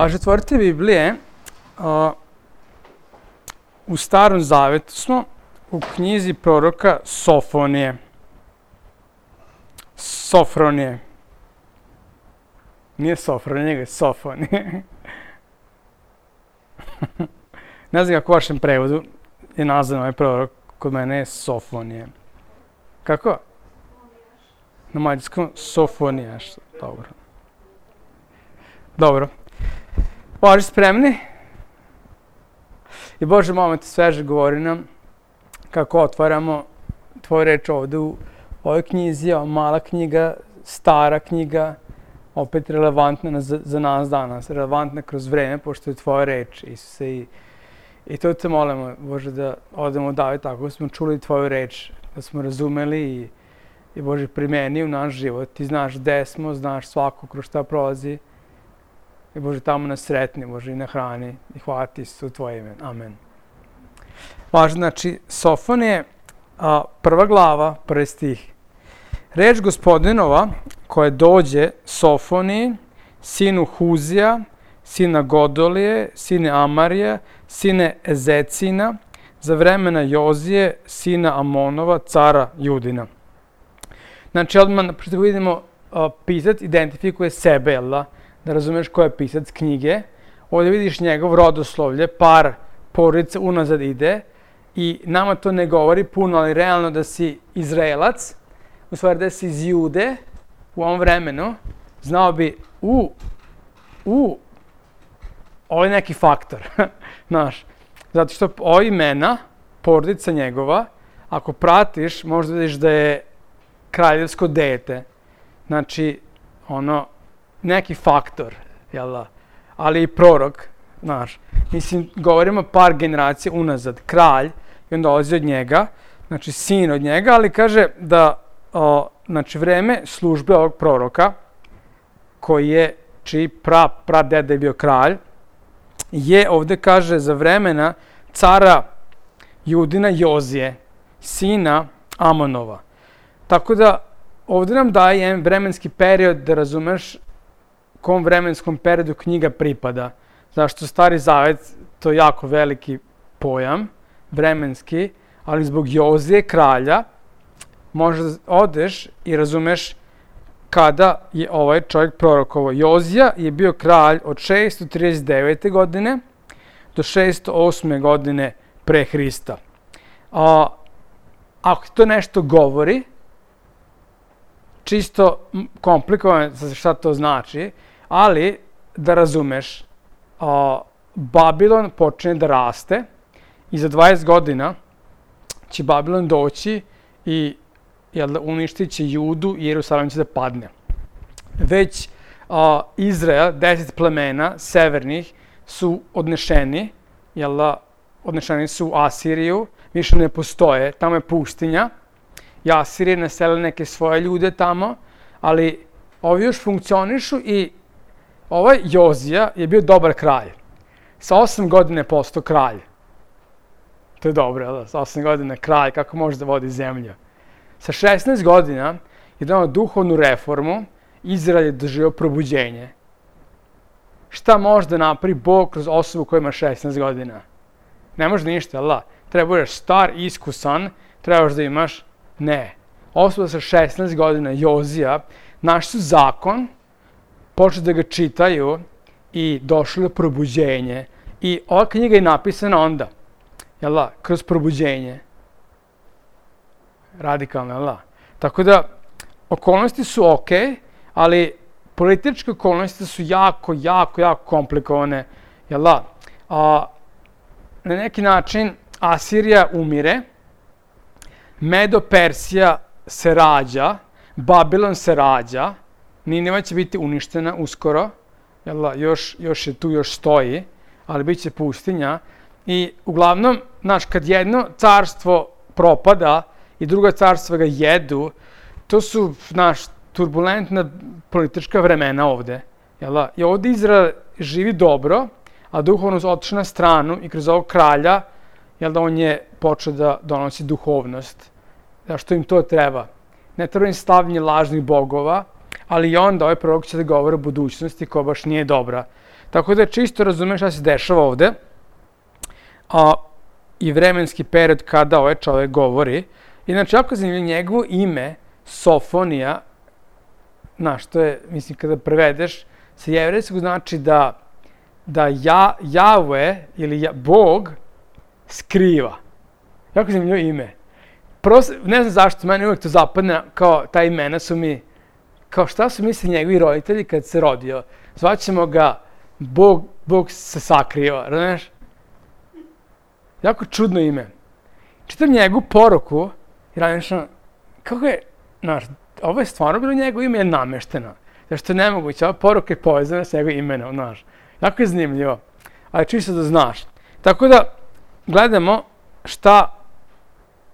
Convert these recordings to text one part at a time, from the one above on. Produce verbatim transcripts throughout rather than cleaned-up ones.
Paže, otvorite Biblije, uh, u Starom Zavetu smo, u knjizi proroka Sofonije. Sofronije. Nije Sofronije, nego je Sofonije. Ne znam kako u vašem prevodu je nazvan ovaj prorok, kod mene je Sofonije. Kako? Na mađarskom Sofonijaš. Dobro. Dobro. Bože, spremni? I Bože, molim te, sveže govori nam kako otvaramo tvoju reč ovde u ovoj knjizi, ova mala knjiga, stara knjiga, opet relevantna za, za nas danas, relevantna kroz vreme, pošto je tvoja reč, Isuse. I, i to te molimo, Bože, da odemo dalje tako da smo čuli tvoju reč, da smo razumeli i, i Bože, primeni u naš život. Ti znaš gde smo, znaš svako kroz šta prolazi. I Bože, tamo nas sretni, Bože, i na hrani. I hvala ti se u tvoje ime. Amen. Važno, znači, Sofonije, a, prva glava, prvi stih. Reč Gospodinova koja dođe Sofoniji, sinu Huzija, sina Godolije, sine Amarija, sine Ezecina, za vremena Jozije, sina Amonova, cara Judina. Znači, odmah što vidimo, a, pisac identifikuje sebe, jel da? Da razumeš ko je pisac knjige. Ovdje vidiš njegov rodoslovlje, par porodica unazad ide i nama to ne govori puno, ali realno da si Izraelac, u stvari da si iz Jude u ovom vremenu, znao bi u, u, ovo je neki faktor, znaš, zato što ovo imena, porodica njegova, ako pratiš, možda vidiš da je kraljevsko dete, znači, ono, neki faktor, jel da, ali i prorok, znaš. Mislim, govorimo par generacija unazad, kralj, i on dolazi od njega, znači sin od njega, ali kaže da, o, znači, vreme službe ovog proroka, koji je, čiji pra, pra deda je bio kralj, je ovde, kaže, za vremena cara Judina Jozije, sina Amonova. Tako da, ovde nam daje jedan vremenski period da razumeš kom vremenskom periodu knjiga pripada. Zašto Stari Zavet, to je jako veliki pojam, vremenski, ali zbog Jozije, kralja, možda odeš i razumeš kada je ovaj čovjek prorokovao. Jozija je bio kralj od šesto trideset devete godine do šesto osme godine pre Hrista. A, ako to nešto govori, čisto komplikovano šta to znači, ali da razumeš, a, Babilon počne da raste i za dvadeset godina će Babilon doći i jel, uništit će Judu i Jerusalim će da padne. Već a, Izrael, deset plemena severnih, su odnešeni, jel, odnešeni su u Asiriju, više ne postoje, tamo je pustinja. I Asirije naselili neke svoje ljude tamo, ali ovi još funkcionišu i ovaj Jozija je bio dobar kralj. Sa osam godina je postao kralj. To je dobro, jel da? Sa osam godina kralj, kako može da vodi zemlju. Sa šesnaest godina je donao duhovnu reformu, Izrael je doživio probuđenje. Šta može da napravi Bog kroz osobu koja ima šesnaest godina? Ne može ništa, jel da? Treba budeš star, iskusan, trebaš da imaš. Ne. Osoba sa šesnaest godina, Jozija, našli su zakon, počeli da ga čitaju i došli do probuđenje. I ova knjiga je napisana onda, jel da, kroz probuđenje. Radikalno, jel da? Tako da, okolnosti su okej, ali političke okolnosti su jako, jako, jako komplikovane, jel da? A, na neki način Asirija umire, Medo-Persija se rađa, Babilon se rađa, Nineva će biti uništena uskoro, jel, još, još je tu, još stoji, ali bit će pustinja. I uglavnom, znaš, kad jedno carstvo propada i druga carstva ga jedu, to su, znaš, turbulentna politička vremena ovde. Jel, i ovde Izrael živi dobro, a duhovno otišao na stranu i kroz ovog kralja, jel da on je počeo da donosi duhovnost. Zašto im to treba? Ne treba im stavljanje lažnih bogova, ali i onda ovaj prorok će da govori o budućnosti koja baš nije dobra. Tako da čisto razumeš šta se dešava ovde. A, i vremenski period kada ovaj čovjek govori. Inače, jako zanimljivo, njegovo ime, Sofonija, znaš, to je, mislim, kada prevedeš, sa jevrejskog znači da, da ja, Jahve ili ja, Bog skriva. Jako zanimljivo ime. Prvo, ne znam zašto, meni uvijek to zapadne, kao ta imena su mi, kao šta su mislili njegovi roditelji kad se rodio. Zvaćemo ga Bog, Bog se sakriva, razumiješ? Jako čudno ime. Čitam njegovu poruku i razmišljam, kako je, znaš, ovo je stvarno bilo njegovo ime, je namešteno. Zašto je nemoguće, ova poruka je povezana s njegovim imenom, znaš. Jako je zanimljivo, ali čisto da znaš. Tako da, gledamo šta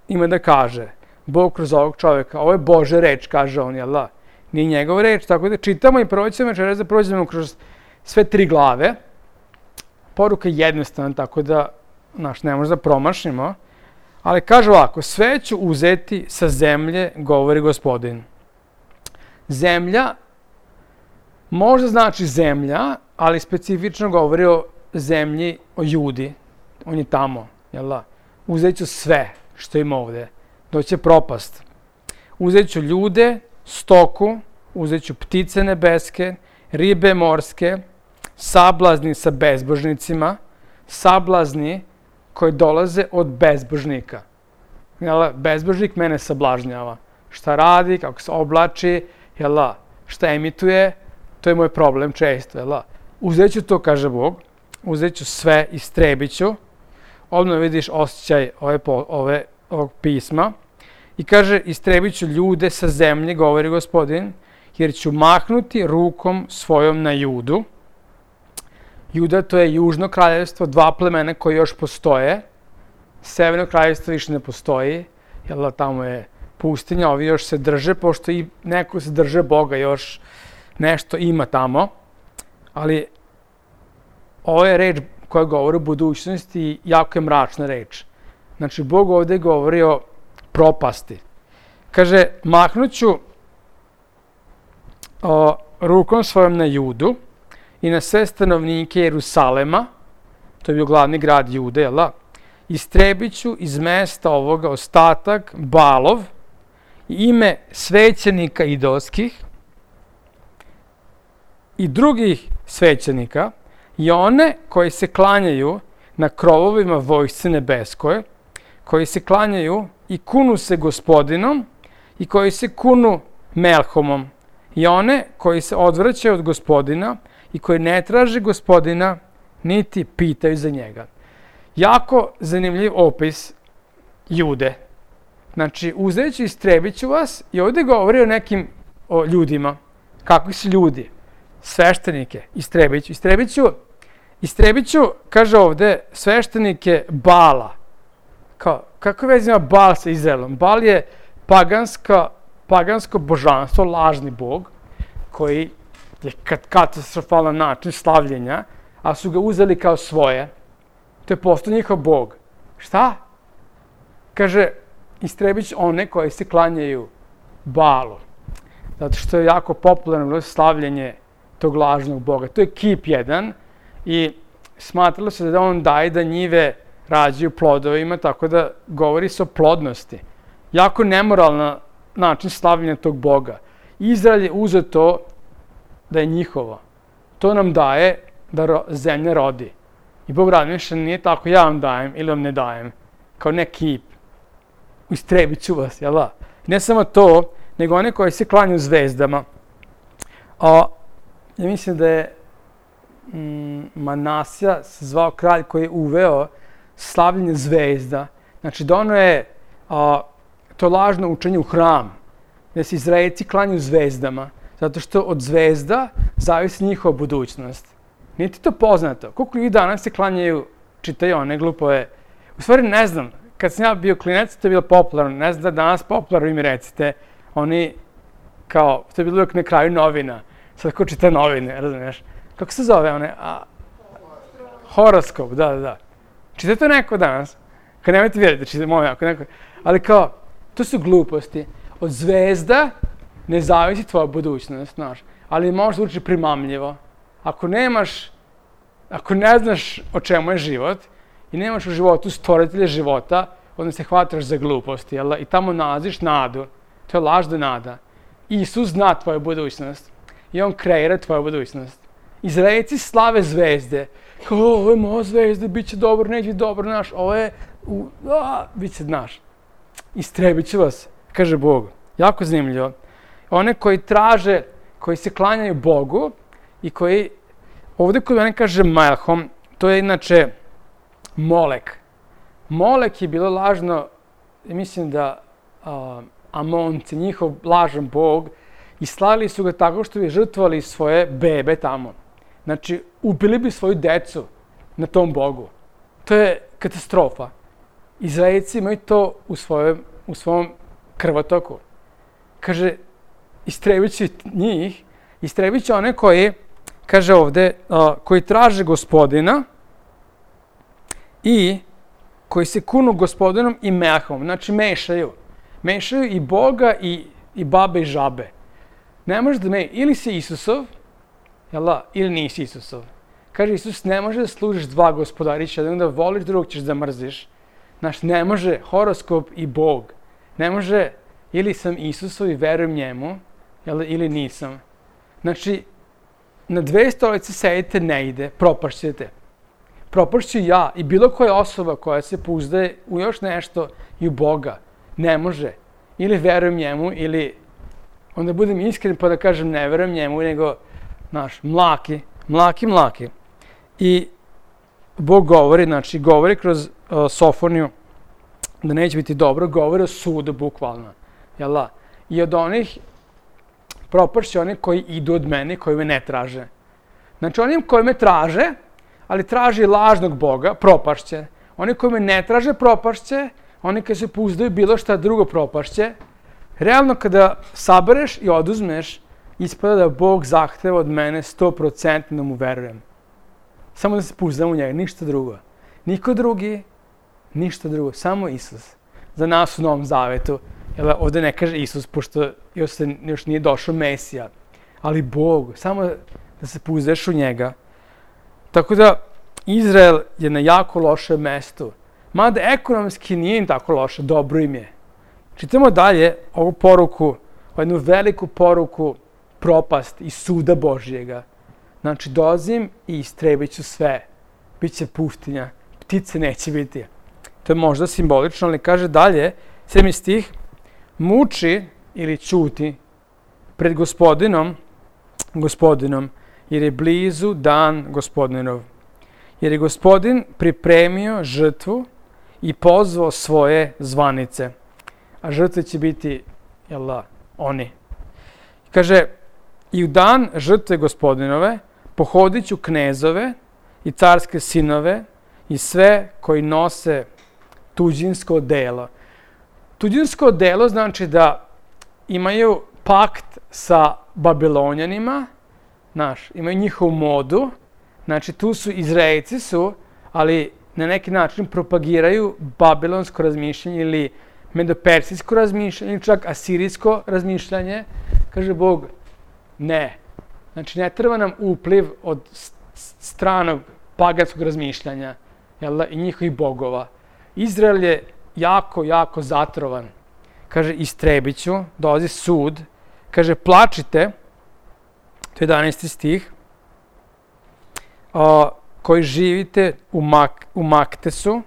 ima da kaže Bog kroz ovog čovjeka. Ovo je Božja reč, kaže on, jel da? Nije njegova reč, tako da čitamo i proćemo večeras da prođemo kroz sve tri glave. Poruka je jednostavna, tako da, znaš, ne možda promašimo. Ali kaže ovako, sve ću uzeti sa zemlje, govori Gospodin. Zemlja, možda znači zemlja, ali specifično govori o zemlji, o Judi. On je tamo, jel da? Uzet ću sve što ima ovde. Doće propast. Uzet ću ljude, stoku, uzet ću ptice nebeske, ribe morske, sablazni sa bezbožnicima, sablazni koji dolaze od bezbožnika. Jel, bezbožnik mene sablažnjava. Šta radi, kako se oblači, jel, šta emituje, to je moj problem često. Jel, uzet ću to, kaže Bog, uzet ću sve, istrebit ću. Odmah vidiš osjećaj ove, ove, ovog pisma. I kaže, istrebit ću ljude sa zemlje, govori Gospodin, jer ću mahnuti rukom svojom na Judu. Juda, to je južno kraljevstvo, dva plemena koje još postoje. Severno kraljevstvo više ne postoji, jer tamo je pustinja, ovi još se drže, pošto i neko se drže Boga, još nešto ima tamo. Ali ovo je reč koja govori o budućnosti i jako je mračna reč. Znači, Bog ovdje govori o propasti. Kaže, mahnuću o, rukom svojom na Judu i na sve stanovnike Jerusalema, to je bio glavni grad Jude, jel da? Istrebit ću iz mesta ovoga ostatak Balov, ime svećenika idolskih i drugih svećenika i one koji se klanjaju na krovovima vojsce nebeskoj, koji se klanjaju i kunu se Gospodinom i koji se kunu Melhomom i one koji se odvraćaju od Gospodina i koji ne traže Gospodina niti pitaju za njega. Jako zanimljiv opis Jude. Znači, uzet ću i istrebit ću vas i ovdje govori o nekim o ljudima. Kakvi su ljudi? Sveštenike. Istrebit ću. Istrebit ću, istrebit ću, kaže ovdje, sveštenike Bala. Kao, kako već ima Bal sa Izraelom? Bal je paganska, pagansko božanstvo, lažni bog, koji je katastrofalan način slavljenja, a su ga uzeli kao svoje. To je postao njihov bog. Šta? Kaže, istrebit ću one koji se klanjaju Balu. Zato što je jako popularno slavljenje tog lažnog boga. To je kip jedan i smatralo se da on daje da njive rađaju plodovima, tako da govori se o plodnosti. Jako nemoralan način slavljenja tog boga. Izrael je uzeo to da je njihovo. To nam daje da ro, zemlja rodi. I Bog razmišlja, nije tako, ja vam dajem ili vam ne dajem. Kao ne kip. Istrebit ću vas, jel da? Ne samo to, nego one koji se klanjaju zvezdama. A, ja mislim da je mm, Manasija se zvao kralj koji je uveo slavljenje zvezda. Znači, dono je a, to lažno učenje u hram, gdje se Izraelci klanjaju zvezdama, zato što od zvezda zavisi njihova budućnost. Nije ti to poznato? Koliko ljudi danas se klanjaju, čitaju one glupove? U stvari ne znam, kad sam ja bio klinac, to je bilo popularno. Ne znam da danas popularno, vi mi recite, oni kao, to je bilo uvijek na kraju novina. Sad ko čita novine, razumiješ? Kako se zove one? A, horoskop, da, da, da. Čita to neko danas? Kad nemojte vjeriti, čita moj ako neko. Ali kao, to su gluposti. Od zvezda ne zavisi tvoja budućnost, znaš. Ali možeš ući primamljivo. Ako nemaš ako ne znaš o čemu je život i nemaš u životu stvoritelja života, onda se hvataš za glupost, jel? I tamo nalaziš nadu. To je lažna nada. Isus zna tvoju budućnost i on kreira tvoju budućnost. Izraelci slave zvezde. Kao, ovo je moja zvezda, bit će dobro, neće biti dobro, naš, ovo je, u, a, bit će, znaš. Istrebit će vas, kaže Bog. Jako zanimljivo. One koji traže, koji se klanjaju Bogu i koji, ovdje kod mene kaže Melhom, to je inače Molek. Molek je bilo lažno, mislim da uh, Amonci, njihov lažan bog, i slavili su ga tako što bi žrtvovali svoje bebe tamo. Znači, ubili bi svoju decu na tom bogu. To je katastrofa. Izraelci imaju to u, svojem, u svom krvotoku. Kaže, istrebit će njih, istrebit će one koji, kaže ovde, uh, koji traže Gospodina i koji se kunu Gospodinom i Melhom. Znači, mešaju. Mešaju i Boga i, i babe i žabe. Ne može da me, ili si Isusov, jela, ili nisi Isusov. Kaže Isus, ne može da služiš dva gospodarića, da onda voliš, drugog ćeš da mrziš. Znači, ne može horoskop i Bog. Ne može, ili sam Isusov i verujem njemu, jela, ili nisam. Znači, na dve stolice sedite ne ide, propašćete. Propašću ja i bilo koja osoba koja se pouzdaje u još nešto i u Boga. Ne može. Ili verujem njemu, ili onda budem iskren pa da kažem ne verujem njemu, nego, znaš, mlaki, mlaki, mlaki. I Bog govori, znači, govori kroz uh, Sofoniju da neće biti dobro, govori o sudu, bukvalno. Jel' I od onih propašće oni koji idu od mene, koji me ne traže. Znači, onim koji me traže, ali traži lažnog Boga, propašće. Oni koji me ne traže, propašće. Oni koji se pouzdaju bilo šta drugo, propašće. Realno, kada sabereš i oduzmeš, ispada da Bog zahteva od mene sto posto da mu verujem. Samo da se pouzdam u njega, ništa drugo. Niko drugi, ništa drugo, samo Isus. Za nas u Novom Zavetu. Jel, ovdje ne kaže Isus, pošto još, se, još nije došao Mesija. Ali Bog, samo da se pouzdaš u njega. Tako da, Izrael je na jako lošem mestu. Mada ekonomski nije im tako loše, dobro im je. Čitamo dalje ovu poruku, jednu veliku poruku, propast i suda Božjega. Znači, dolazim i istrebit ću sve. Biće pustinja, ptice neće biti. To je možda simbolično, ali kaže dalje, sedmi stih, muči ili ćuti pred Gospodinom, Gospodinom, jer je blizu dan Gospodinov. Jer je Gospodin pripremio žrtvu i pozvao svoje zvanice. A žrtve će biti, jel da, oni. Kaže, i u dan žrtve Gospodinove pohodit ću knezove i carske sinove i sve koji nose tuđinsko delo. Tuđinsko delo znači da imaju pakt sa Babilonjanima, znaš, imaju njihovu modu, znači tu su Izraelci su, ali na neki način propagiraju babilonsko razmišljanje ili medopersijsko razmišljanje ili čak asirijsko razmišljanje. Kaže Bog, ne. Znači ne treba nam upliv od stranog paganskog razmišljanja, jel da, i njihovih bogova. Izrael je jako, jako zatrovan. Kaže, istrebit ću, dolazi sud. Kaže, plačite, to je jedanaesti stih, a, koji živite u, Mak, u Maktesu,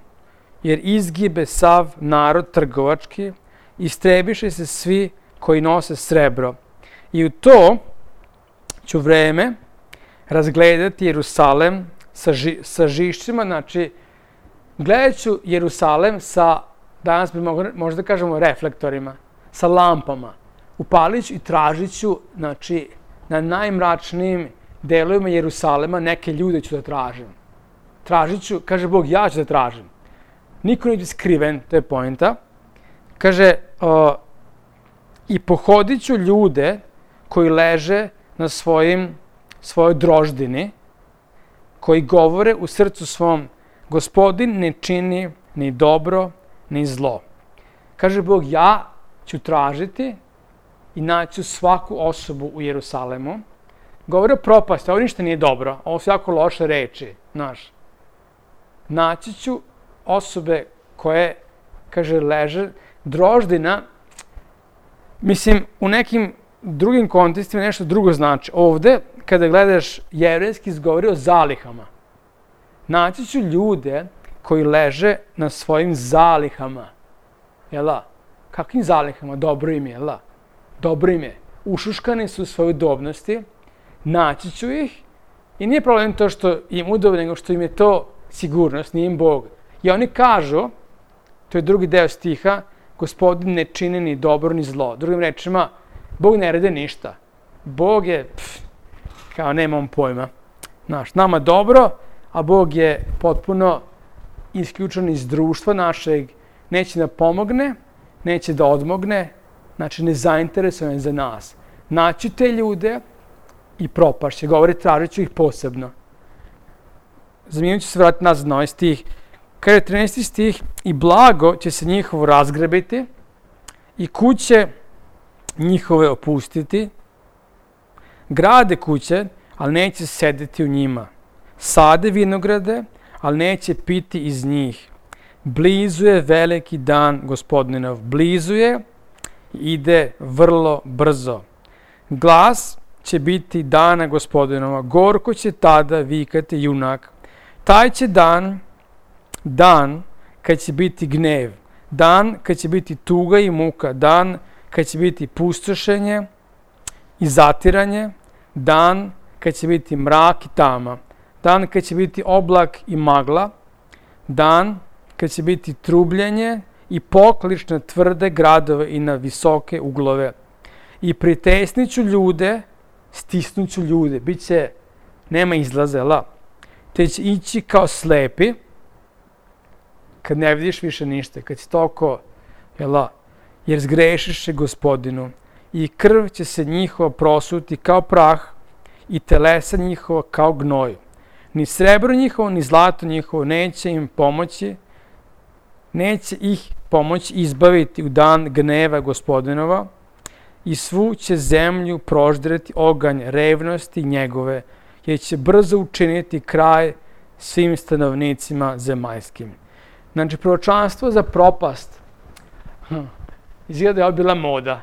jer izgibe sav narod trgovački, istrebiše se svi koji nose srebro. I u to ću vreme razgledati Jerusalem sa, ži, sa žišćima, znači gledat ću Jerusalem sa, danas bi mogli, možda kažemo, reflektorima, sa lampama. Upalit ću i tražit ću, znači, na najmračnijim delovima Jerusalema neke ljude ću da tražim. Tražit ću, kaže Bog, ja ću da tražim. Niko neće skriven, to je poenta. Kaže, uh, i pohodit ću ljude koji leže na svojim, svojoj droždini, koji govore u srcu svom, Gospodin ne čini ni dobro, ni zlo. Kaže Bog, ja ću tražiti i naću svaku osobu u Jerusalemu. Govore o propasti, ovo ništa nije dobro, ovo su jako loše reči. znaš. Naći ću osobe koje, kaže, leže, droždina, mislim, u nekim drugim kontekstima nešto drugo znači. Ovde, kada gledaš jevrejski, izgovori o zalihama. Naći ću ljude koji leže na svojim zalihama. Jel da? Kakvim zalihama? Dobro im je, jel da? Dobro im je. Ušuškani su u svojoj udobnosti, naći ću ih i nije problem to što im udobno, nego što im je to sigurnost, nije im Bog. I oni kažu, to je drugi deo stiha, Gospodin ne čini ni dobro ni zlo. Drugim rečima, Bog ne rade ništa. Bog je, pff, kao nemam pojma. Znaš, nama dobro, a Bog je potpuno isključen iz društva našeg, neće da pomogne, neće da odmogne, znači nezainteresovan je za nas. Naći te ljude i propašće. Govori, tražit ću ih posebno. Zanimljivo ću se vratiti nazad na ovaj stih. Kada je trinaesti stih, i blago će se njihovo razgrabiti i kuće njihove opustiti. Grade kuće, ali neće sedeti u njima. Sade vinograde, ali neće piti iz njih. Blizu je veliki dan Gospodinov. Blizu je, ide vrlo brzo. Glas će biti dana Gospodinova. Gorko će tada vikati junak. Taj će dan, dan kad će biti gnev. Dan kad će biti tuga i muka. Dan kad će biti pustošenje i zatiranje. Dan kad će biti mrak i tama. Dan kad će biti oblak i magla. Dan kad će biti trubljenje i poklič na tvrde gradove i na visoke uglove. I pritesniću ljude, stisnuću ljude, bit će, nema izlaze, la. Te će ići kao slepi, kad ne vidiš više ništa, kad si toliko, jela, jer zgrešiše Gospodinu. I krv će se njihova prosuti kao prah i telesa njihova kao gnoj. Ni srebro njihovo, ni zlato njihovo neće im pomoći, neće ih pomoći izbaviti u dan gneva Gospodinova i svu će zemlju proždreti oganj revnosti njegove, jer će brzo učiniti kraj svim stanovnicima zemaljskim. Znači, proročanstvo za propast. Hm. Izgleda da je ovo bila moda.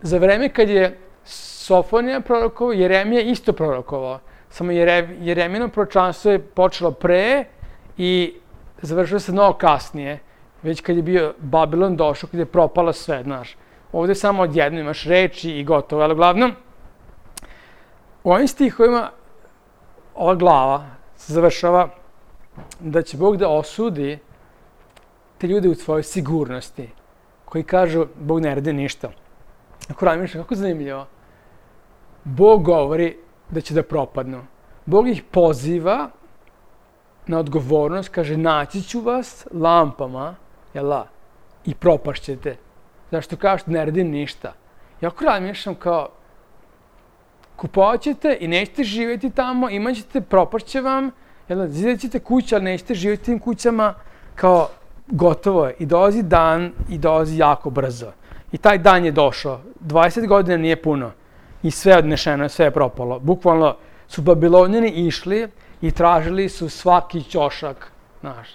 Za vreme kad je Sofonija prorokovao, Jeremija isto prorokovao. Samo Jeremino proročanstvo je počelo pre i završilo se mnogo kasnije. Već kad je bio Babilon došao, kad je propalo sve, znaš. Ovdje samo odjedno imaš reči i gotovo. Ali uglavnom, u ovim stihovima ova glava se završava da će Bog da osudi te ljude u svojoj sigurnosti, koji kažu Bog ne radi ništa. Ako razmišljam, kako zanimljivo. Bog govori da će da propadnu. Bog ih poziva na odgovornost, kaže naći ću vas lampama, jela, i propašćete. Zašto kažete ne radim ništa? I ako razmišljam kao kupovat ćete i nećete živjeti tamo, imat ćete, propašće vam, jel, zidat ćete kuće, ali nećete živjeti tim kućama, kao gotovo je. I dolazi dan i dolazi jako brzo. I taj dan je došao. dvadeset godina nije puno. I sve je odnešeno, sve je propalo. Bukvalno su Babilonjani išli i tražili su svaki ćošak, znaš.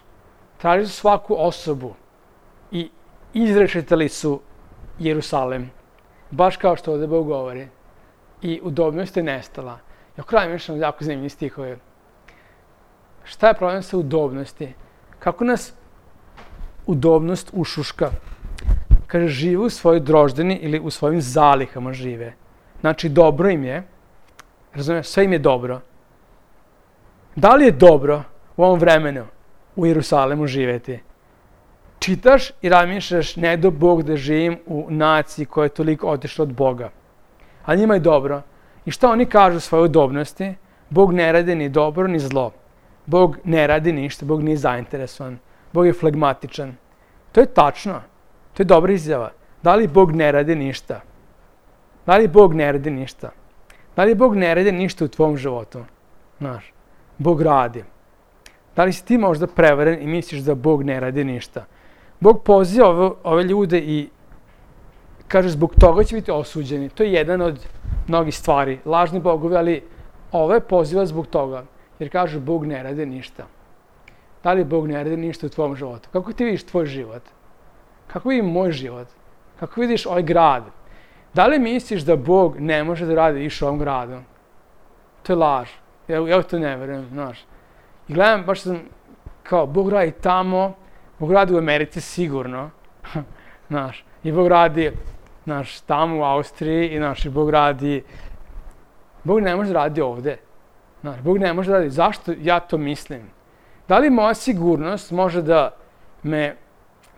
Tražili su svaku osobu i izrešetali su Jerusalim. Baš kao što ovdje Bog govori. I udobnost je nestala. I ako radim još jako zanimljivi stihove. Šta je problem sa udobnosti? Kako nas udobnost ušuška? Kaže, žive u svojoj droždini ili u svojim zalihama žive. Znači, dobro im je. Razumiješ, sve im je dobro. Da li je dobro u ovom vremenu u Jerusalimu živjeti? Čitaš i razmišljaš, ne do Bog da živim u naciji koja je toliko otišla od Boga. Ali njima je dobro. I šta oni kažu u svojoj udobnosti? Bog ne radi ni dobro ni zlo. Bog ne radi ništa, Bog nije zainteresovan. Bog je flegmatičan. To je tačno. To je dobra izjava. Da li Bog ne radi ništa? Da li Bog ne radi ništa? Da li Bog ne radi ništa u tvom životu? Znaš, Bog radi. Da li si ti možda prevaren i misliš da Bog ne radi ništa? Bog poziva ove, ove ljude i kaže zbog toga će biti osuđeni. To je jedan od mnogih stvari. Lažni bogovi, ali ove poziva zbog toga. Jer kažu Bog ne radi ništa. Da li Bog ne radi ništa u tvom životu? Kako ti vidiš tvoj život? Kako vidim moj život? Kako vidiš ovaj grad? Da li misliš da Bog ne može da radi više u ovom gradu? To je laž. Ja, ja to ne verujem, znaš. I gledam, baš sam kao, Bog radi tamo, Bog radi u Americi sigurno, znaš. I Bog radi, znaš, tamo u Austriji, i znaš, i Bog radi, Bog ne može da radi ovde. Znaš, Bog ne može da radi. Zašto ja to mislim? Da li moja sigurnost može da me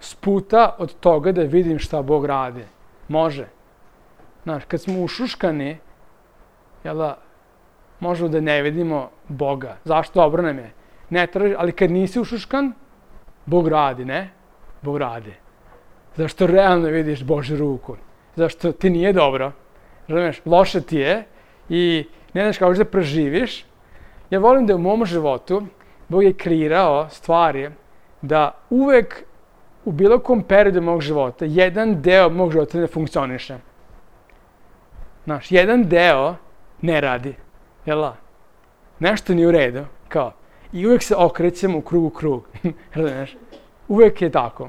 sputa od toga da vidim šta Bog radi? Može. Znaš, kad smo ušuškani, jel da, možemo da ne vidimo Boga. Zašto? Dobro nam je. Ne traži, ali kad nisi ušuškan, Bog radi, ne? Bog radi. Zašto realno vidiš Božju ruku. Zašto ti nije dobro. Razumeš, loše ti je i ne znaš kako da preživiš. Ja volim da u mom životu Bog je kreirao stvari da uvek u bilo kom periodu mog života jedan deo mog života ne funkcioniše. Znaš, jedan deo ne radi. Jel' nešto nije u redu, kao. I uvek se okrećemo u krug u krug. Znaš, uvek je tako.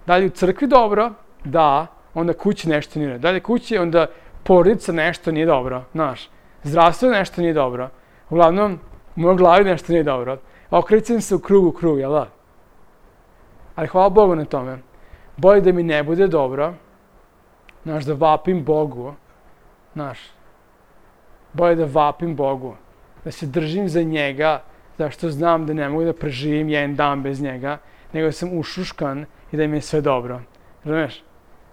Da li u crkvi dobro? Da. Onda kući nešto nije dobro. Da li kući, onda porodica nešto nije dobro. Znaš, zdravstvo nešto nije dobro. Uglavnom, u mojoj glavi nešto nije dobro. Okrećem se u krug u krug, jel' da? Ali hvala Bogu na tome. Bolje da mi ne bude dobro. Znaš, da vapim Bogu. Znaš, bolje da vapim Bogu. Da se držim za njega, zašto znam da ne mogu da preživim jedan dan bez njega, nego sam ušuškan i da mi je sve dobro. Razumeš?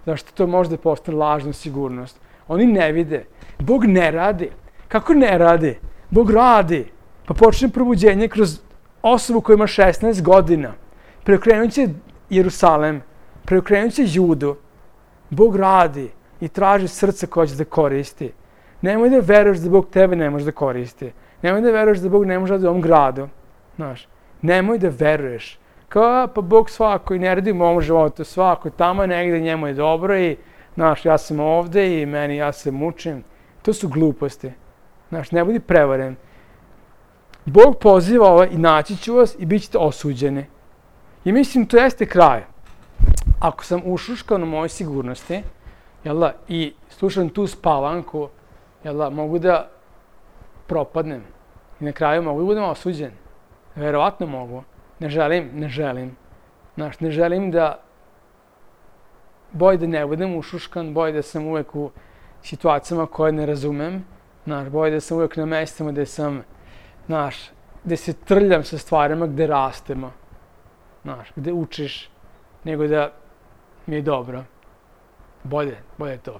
Zašto to možda postane lažna sigurnost? Oni ne vide. Bog ne radi. Kako ne radi? Bog radi. Pa počne probuđenje kroz osobu koja ima šesnaest godina. Preokrenut će Jerusalem. Preokrenut će Judu. Bog radi i traži srce koje će da koristi. Nemoj da veruješ da Bog tebe ne može da koristi. Nemoj da veruješ da Bog ne može da u ovom gradu. Znaš, nemoj da veruješ. Kao, pa Bog svako i ne radi u mom životu, svako tamo negde njemu je dobro i, znaš, ja sam ovde i meni, ja se mučim. To su gluposti. Znaš, ne budi prevaren. Bog poziva ovo i naći ću vas i bit ćete osuđeni. I mislim, to jeste kraj. Ako sam ušuškan u mojoj sigurnosti, jel da, i slušam tu spavanku, jel da, mogu da propadnem. I na kraju mogu da budem osuđen. Verovatno mogu. Ne želim, ne želim. Znaš, ne želim da bolje da ne budem ušuškan, bolje da sam uvek u situacijama koje ne razumem. Znaš, bolje da sam uvek na mestima gde sam, znaš, gde se trljam sa stvarima gde rastemo. Znaš, gde učiš, nego da mi je dobro. Bolje, bolje to.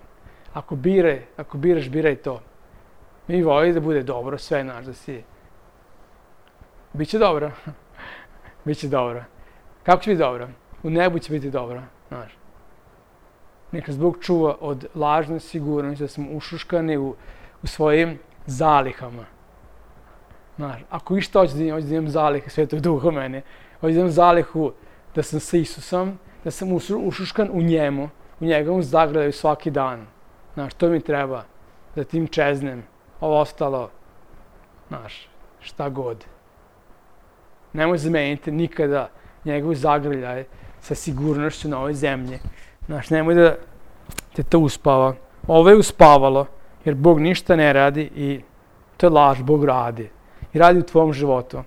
Ako bire, ako biraš, biraj to. Mi voli da bude dobro, sve naš, da si... Biće dobro. Biće dobro. Kako će biti dobro? U nebu će biti dobro, znaš. Neka nas Bog čuva od lažne sigurnosti, da smo ušuškani u, u svojim zalihama. Znaš, ako išta hoće da imam, hoće da imam zalihe Svetog Duha u mene, hoće da imam zalihu da sam sa Isusom, da sam ušuškan u njemu, u njegovom zagrljaju svaki dan. Znaš, to mi treba, da tim čeznem. Ovo ostalo, znaš, šta god. Nemoj zameniti nikada njegov zagrljaj sa sigurnošću na ovoj zemlji. Znaš, nemoj da te to uspava. Ovo je uspavalo, jer Bog ništa ne radi i to je laž, Bog radi. I radi u tvom životu.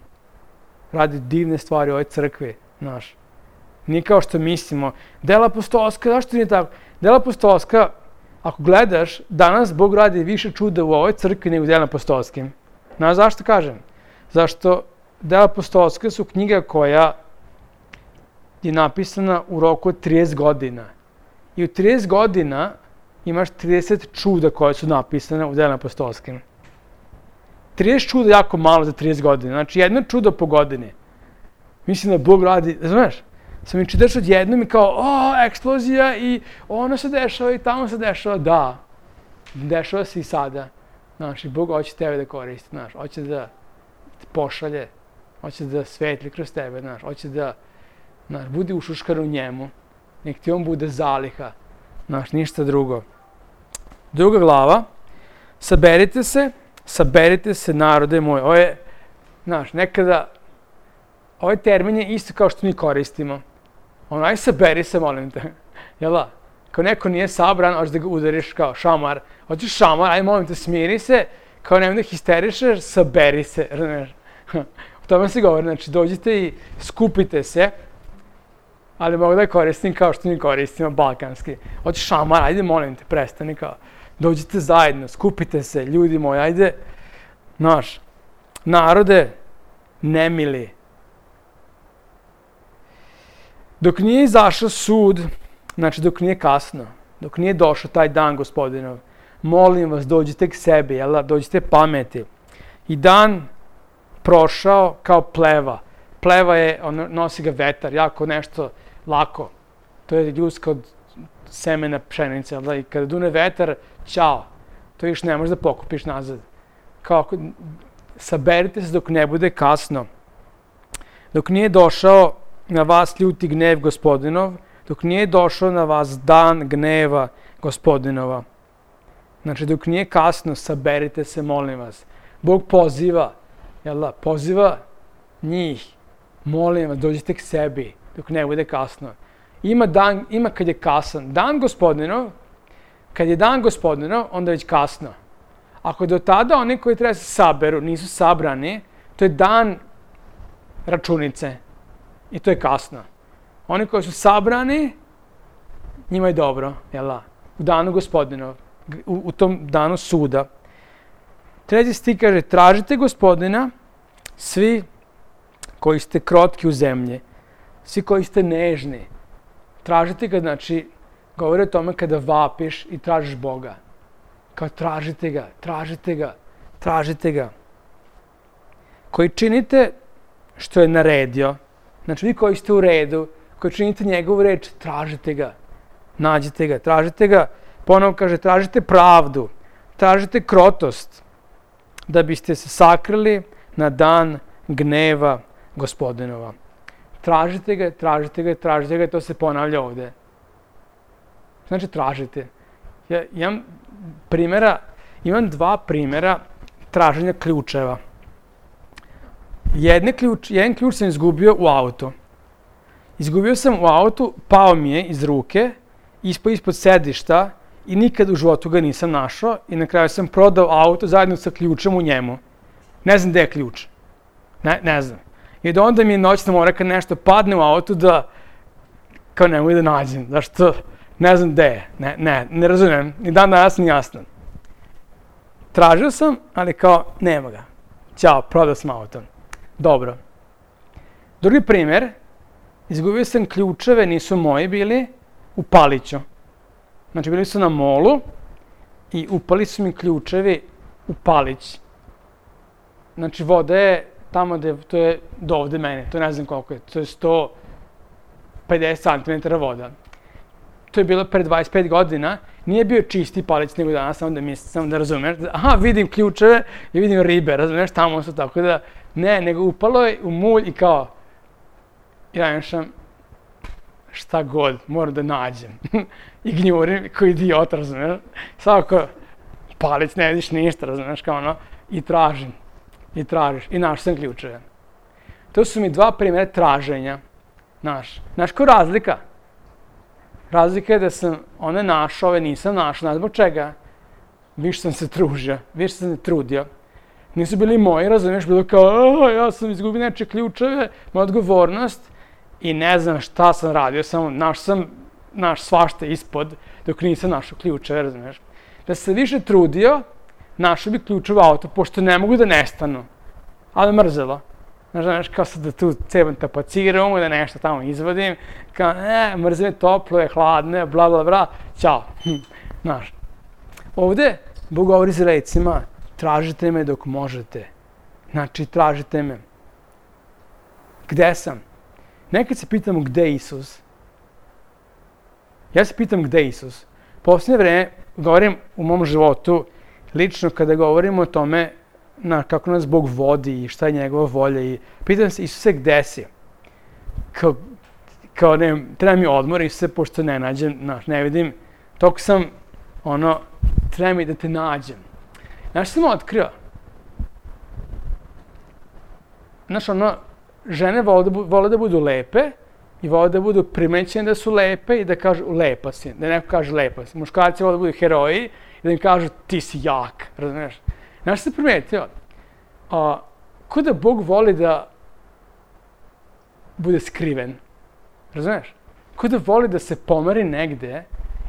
Radi divne stvari u ovoj crkvi, znaš. Nije kao što mislimo. Dela apostolska, zašto nije tako? Dela apostolska, ako gledaš, danas Bog radi više čuda u ovoj crkvi nego u delima apostolskim. Znaš zašto kažem? Zašto dela apostolska su knjiga koja je napisana u roku od trideset godina. I u trideset godina imaš trideset čuda koje su napisane u delima apostolskim. trideset čuda je jako malo za trideset godina. Znači, jedno čudo po godini. Mislim da Bog radi, znaš, sam mi čitaš odjednom i kao, o, eksplozija i ono se dešava i tamo se dešava. Da, dešava se i sada. Znaš, i Bog hoće tebe da koristi, znaš, hoće da te pošalje, hoće da svetli kroz tebe, znaš, hoće da, znaš, budi ušuškan u njemu, nek ti on bude zaliha, znaš, ništa drugo. Druga glava, saberite se, saberite se narode moj. Ovo je Znaš, nekada, ovaj termin je isto kao što mi koristimo. Ono, aj saberi se, molim te. Jel da? Kao neko nije sabran, hoćeš da ga udariš kao šamar. Hoćeš šamar, aj molim te, smiri se. Kao nemoj da histerišeš, saberi se, razumiješ? O tome se govori, znači dođite i skupite se, ali mogu da je koristim kao što mi koristimo, balkanski. Hoćeš šamar, ajde molim te, prestani kao. Dođite zajedno, skupite se, ljudi moji, ajde. Znaš, narode, nemili. Dok nije izašao sud, znači dok nije kasno, dok nije došao taj dan Gospodinov, molim vas, dođite k sebi, jel da, dođite pameti. I dan prošao kao pleva. Pleva je, ono, nosi ga vetar, jako nešto lako. To je ljudska od semena pšenice, jel da, i kada dune vetar, ćao, to još ne možeš da pokupiš nazad. Kao, saberite se dok ne bude kasno. Dok nije došao na vas ljuti gnev Gospodinov, dok nije došao na vas dan gneva Gospodinova. Znači, dok nije kasno, saberite se, molim vas. Bog poziva, jel da, poziva njih, molim vas, dođite k sebi, dok ne bude kasno. Ima dan, ima kad je kasan. Dan Gospodinov, kad je dan Gospodinov, onda je već kasno. Ako do tada oni koji treba se saberu, nisu sabrani, to je dan računice. I to je kasno. Oni koji su sabrani, njima je dobro, jel da? U danu Gospodinov, u, u tom danu suda. Treći stih kaže, tražite Gospodina, svi koji ste krotki u zemlji, svi koji ste nežni. Tražite ga, znači, govori o tome kada vapiš i tražiš Boga. Kao tražite ga, tražite ga, tražite ga. Koji činite što je naredio, znači vi koji ste u redu, koji činite njegovu reč, tražite ga, nađite ga, tražite ga. Ponovo kaže, tražite pravdu, tražite krotost, da biste se sakrili na dan gneva Gospodinova. Tražite ga, tražite ga, tražite ga, to se ponavlja ovde. Znači, tražite. Ja imam primjera, imam dva primjera traženja ključeva. Jedne ključ, jedan ključ sam izgubio u auto. Izgubio sam u autu, pao mi je iz ruke, ispod ispod sedišta i nikad u životu ga nisam našao i na kraju sam prodao auto zajedno sa ključem u njemu. Ne znam gde je ključ. Ne, ne znam. I da onda mi je noćna mora kad nešto padne u auto da kao ne mogu da nađem. Zašto? Ne znam gde je. Ne, ne, ne razumijem. Ni dan danas nije jasno. Tražio sam, ali kao nema ga. Ćao, prodao sam auto. Dobro. Drugi primjer. Izgubio sam ključeve, nisu moji bili, u Paliću. Znači, bili su na molu i upali su mi ključevi u Palić. Znači, voda je tamo gde, to je do ovde mene, to ne znam koliko je, to je sto pedeset centimetara voda. To je bilo pre dvadeset pet godina, nije bio čisti Palić nego danas, samo da mislim, samo da razumeš. Aha, vidim ključeve i vidim ribe, razumeš, tamo su tako da, ne, nego upalo je u mulj i kao, ja nešam, šta god, moram da nađem. I gnjurim, kao idiot, razumeš. Svako, Palić, ne vidiš ništa, razumeš, kao ono, i tražim. I tražiš. I našao sam ključeve. To su mi dva primjera traženja. Znaš, znaš ko razlika? Razlika je da sam one našao, ove nisam našao. Znaš zbog čega? Više sam se tružio, više sam se trudio. Nisu bili moji, razumiješ, bilo kao, ja sam izgubio neče ključeve, moja odgovornost i ne znam šta sam radio, samo našao sam naš svašta ispod dok nisam našao ključeve, razumiješ. Da sam se više trudio, našao bi ključeve auto, pošto ne mogu da nestanu. Ali mrzelo. Znaš, kao sad da tu cebam tapaciram, da nešto tamo izvodim, kao, ne, mrzim je toplo, je hladno, je bla, bla, bla, ćao. Znaš, ovde Bog govori s recima, tražite me dok možete. Znači, tražite me. Gde sam? Nekad se pitamo gde je Isus. Ja se pitam gde je Isus. Posljednje vreme, govorim u mom životu, lično kada govorimo o tome na kako nas Bog vodi i šta je njegova volja i pitam se, Isuse, gde si? Kao, kao ne, treba mi odmor, Isuse, pošto ne nađem, znaš, ne vidim, toko sam, ono, treba mi da te nađem. Znaš, sam otkrio? znaš, ono, žene vole da, vole da budu lepe i vole da budu primećene da su lepe i da kažu lepa si, da neko kaže lepa si. Muškarci vole da budu heroji i da im kažu ti si jak, razumiješ? Znaš se primetio? A, ko da Bog voli da bude skriven, razumiješ? Ko da voli da se pomeri negde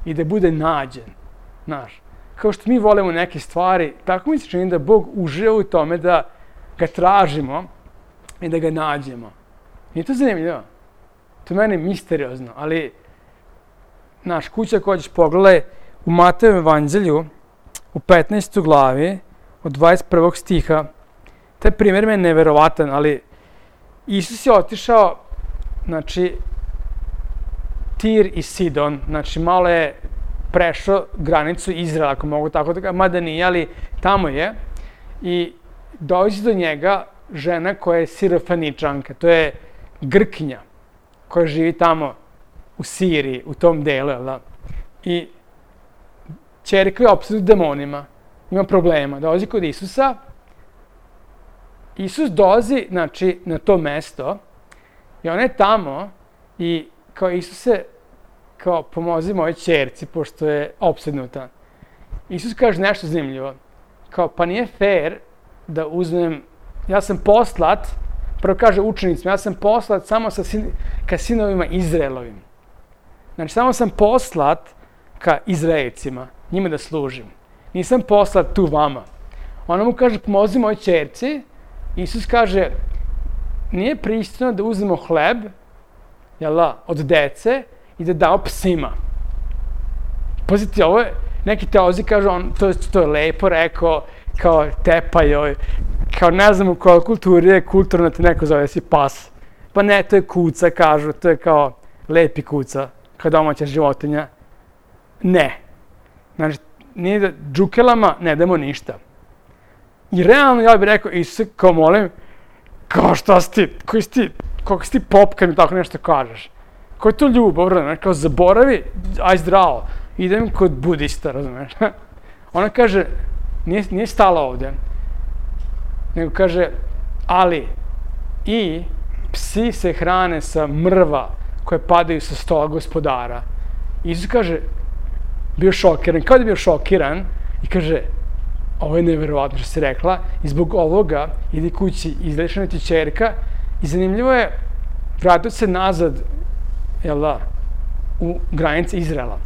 i da bude nađen, znaš? Kao što mi volimo neke stvari, tako mi se čini da Bog uživa u tome da ga tražimo i da ga nađemo. Nije to zanimljivo? To je meni misteriozno, ali naš kuća koja ćeš pogledaj u Matejevom evanđelju u petnaestoj glavi od dvadeset prvog stiha. Taj primjer me je neverovatan, ali Isus je otišao, znači, Tir i Sidon, znači malo je prešao granicu Izraela, ako mogu tako da kažem, mada nije, ali tamo je. I dođe do njega žena koja je Sirofeničanka, to je Grkinja, koja živi tamo u Siriji, u tom delu, jel da? I ćerka je opsednuta demonima, ima problema, dolazi kod Isusa. Isus dolazi, znači, na to mesto i ona je tamo i kao Isuse, kao pomozi mojoj ćerci, pošto je opsednuta. Isus kaže nešto zanimljivo, kao pa nije fair da uzmem, ja sam poslat, prvo kaže učenicima, ja sam poslat samo sa sin, ka sinovima Izraelovim. Znači, samo sam poslat ka Izraelcima, njima da služim. Nisam poslat tu vama. Ona mu kaže, pomozi mojoj ćerci. Isus kaže, nije pristojno da uzmemo hleb, jela, od dece i da dao psima. Pazite, ovo je, neki teolozi kažu, on, to, to je lepo rekao, kao tepa joj, kao ne znam u kojoj kulturi je kulturno te neko zove si pas. Pa ne, to je kuca, kažu, to je kao lepi kuca, kao domaća životinja. Ne. Znači, nije da džukelama ne damo ništa. I realno ja bih rekao, Isuse, kao molim, kao šta si ti, koji si ti, kako si ti pop kad mi tako nešto kažeš? Koja je to ljubav, razumiješ? Kao zaboravi, aj zdravo, idem kod budista, razumiješ? Ona kaže, nije, nije stala ovde, nego kaže, ali i psi se hrane sa mrva koje padaju sa stola gospodara. Isus kaže, bio šokiran, kao da je bio šokiran i kaže, ovo je neverovatno što si rekla i zbog ovoga idi kući, izlečena ti ćerka i zanimljivo je, vratio se nazad, jel da, u granice Izraela.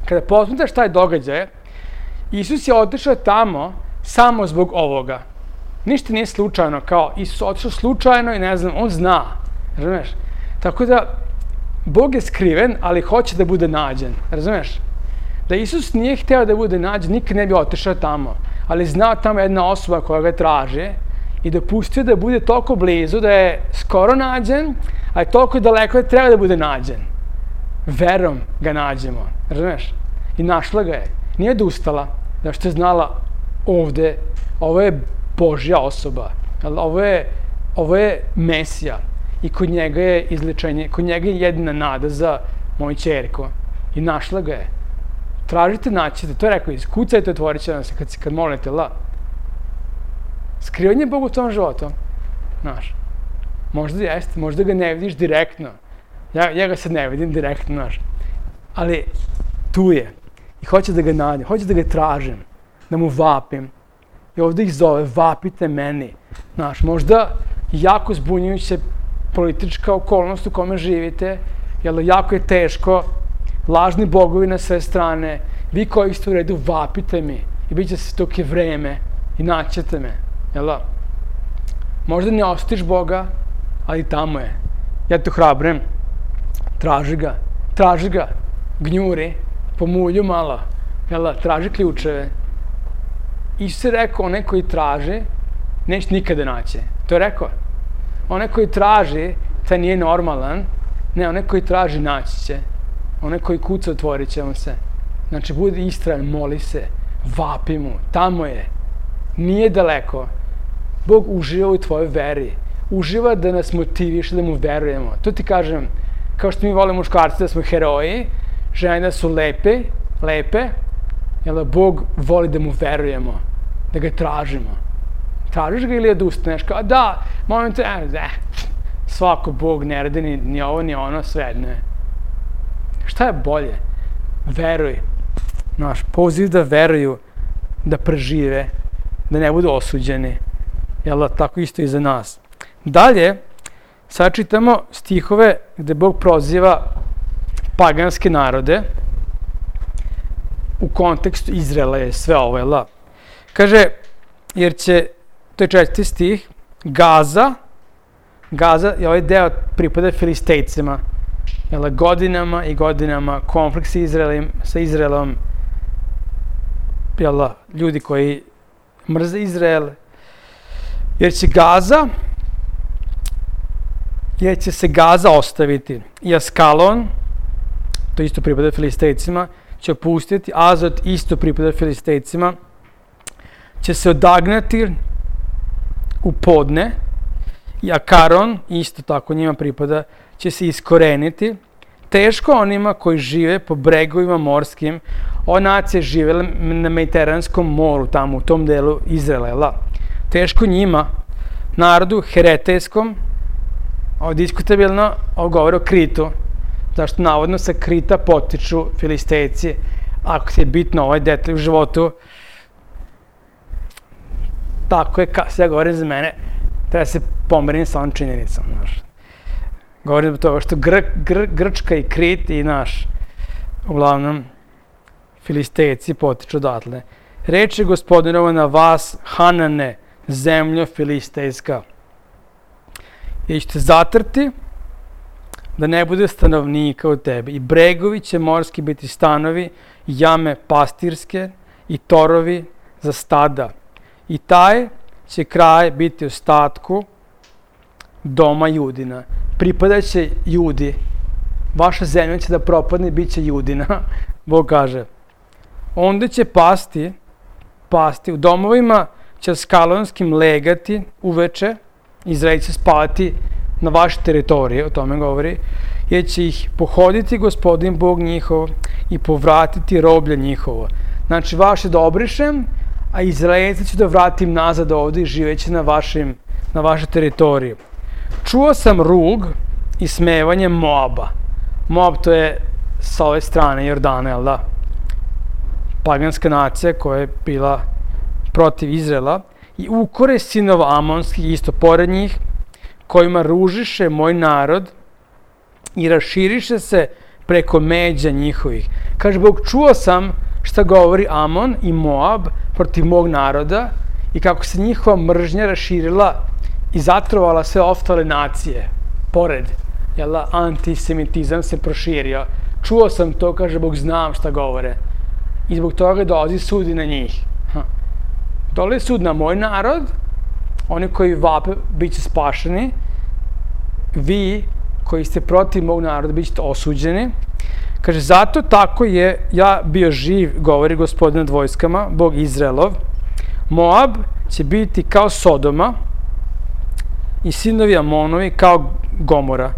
Kada posmetaš taj događaj, Isus je otišao tamo samo zbog ovoga. Ništa nije slučajno, kao Isus otišao slučajno i ne znam, on zna, razumeš? Tako da, Bog je skriven, ali hoće da bude nađen, razumeš? Da Isus nije hteo da bude nađen, nikad ne bi otišao tamo, ali znao tamo jedna osoba koja ga traži i dopustio da bude toliko blizu da je skoro nađen, a je toliko daleko da treba da bude nađen. Verom ga nađemo, razumeš? I našla ga je. Nije odustala, da što je znala ovde, ovo je Božja osoba, ovo je, ovo je Mesija i kod njega je izlečenje, kod njega je jedina nada za moju ćerku. I našla ga je. Tražite, naćete, to je rekao, iskucajte, otvorit će vam se kad, kad molite, la. Skrivan je Bog u tom životu, znaš. Možda jeste, možda ga ne vidiš direktno. Ja, ja ga sad ne vidim direktno, znaš. Ali tu je. I hoće da ga nađem, hoće da ga tražim, da mu vapim. I ovdje ih zove, vapite meni. Znaš, možda jako zbunjujuće politička okolnost u kome živite, jer jako je teško, lažni bogovi na sve strane, vi koji ste u redu, vapite mi i bit će se dok je vreme i naćete me, jel da? Možda ne ostiš Boga, ali tamo je. Ja te hrabrim, traži ga, traži ga, gnjuri, pomulju malo, jel da, traži ključeve. Isus je rekao, onaj koji traži, neće nikada naći. To je rekao. Onaj koji traži, taj nije normalan, ne, onaj koji traži naći će. Onaj koji kuca, otvorit će mu se. Znači, budi istrajan, moli se, vapi mu, tamo je. Nije daleko. Bog uživa u tvojoj veri. Uživa da nas motiviše, da mu verujemo. To ti kažem, kao što mi volimo muškarci da smo heroji, žene da su lepe, lepe, jer Bog voli da mu verujemo, da ga tražimo. tražiš ga ili odustaneš? Kao, da, molim te, eh, svako Bog ne radi ni, ni ovo, ni ono, sve, ne. Šta je bolje? Veruj. Znaš, poziv da veruju, da prežive, da ne budu osuđeni. Jel da, tako isto i za nas. Dalje, sad čitamo stihove gde Bog proziva paganske narode u kontekstu Izraela je sve ovo, jel da? Kaže, jer će, to je četvrti stih, Gaza, Gaza je ovaj deo pripada Filistejcima, jel da, godinama i godinama konflikt sa Izraelom, sa Izraelom, jel da, ljudi koji mrze Izrael, jer će Gaza, jer će se Gaza ostaviti i Askalon, to isto pripada Filistejcima, će opustiti, Azot isto pripada Filistejcima, će se odagnati u podne i Akaron, isto tako njima pripada, će se iskoreniti. Teško onima koji žive po bregovima morskim, ova nacija je živela na Mediteranskom moru, tamo u tom delu Izraela. Teško njima, narodu heretejskom, ovo diskutabilno, ovo govori o Kritu, zašto navodno sa Krita potiču Filistejci, ako ti je bitno ovaj detalj u životu, tako je, sve govorim za mene, treba se pomerim sa ovom činjenicom, znaš. Govorim zbog toga što Gr, Gr, Grčka i Krit i naš, uglavnom, Filistejci potiču odatle. Reč je Gospodinova na vas, Hanane, zemljo Filistejska. I ćete zatrti da ne bude stanovnika u tebi. I bregovi će morski biti stanovi, jame pastirske i torovi za stada. I taj će kraj biti ostatku doma Judina. Pripadaće Judi. Vaša zemlja će da propadne i bit će Judina. Bog kaže. Onda će pasti, pasti u domovima će skalonskim legati uveče, Izrael će spavati na vaše teritorije, o tome govori, jer će ih pohoditi Gospodin Bog njihov i povratiti roblje njihovo. Znači, vaše da obrišem, a Izraelci ću da vratim nazad ovde i živeće na, vašim, na vaše teritorije. Čuo sam rug i smevanje Moaba. Moab to je sa ove strane Jordana, jel da? Paganska nacija koja je bila protiv Izraela i ukore sinova Amonskih isto pored njih, kojima ružiše moj narod i raširiše se preko međa njihovih. Kaže Bog, čuo sam šta govori Amon i Moab protiv mog naroda i kako se njihova mržnja raširila i zatrovala sve ostale nacije. Pored, jel, antisemitizam se proširio. Čuo sam to, kaže Bog, znam šta govore. I zbog toga dolazi sud i na njih. Dolazi sud na moj narod, oni koji vape bit će spašeni, vi koji ste protiv mog naroda bit ćete osuđeni. Kaže, zato tako je ja bio živ, govori Gospodin nad vojskama, Bog Izraelov. Moab će biti kao Sodoma i sinovi Amonovi kao Gomora.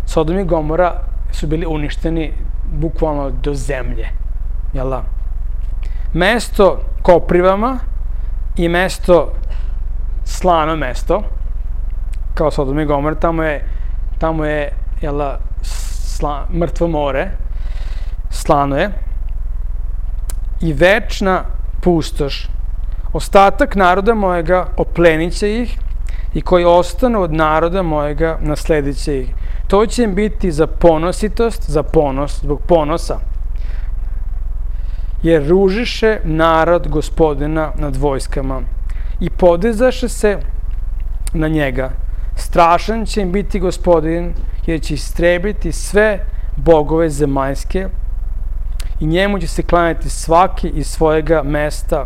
Sodom i Gomora su bili uništeni bukvalno do zemlje. Jel da? Mesto koprivama i mesto slano mesto, kao Sodom i Gomora, tamo je, tamo je jel da, sla, mrtvo more, slano je, i večna pustoš. Ostatak naroda mojega oplenit će ih i koji ostanu od naroda mojega nasledit će ih. To će im biti za ponositost, za ponos, zbog ponosa. Jer ružiše narod Gospodina nad vojskama i podizaše se na njega. Strašan će im biti Gospodin, jer će istrebiti sve bogove zemaljske i njemu će se klanjati svaki iz svojega mesta,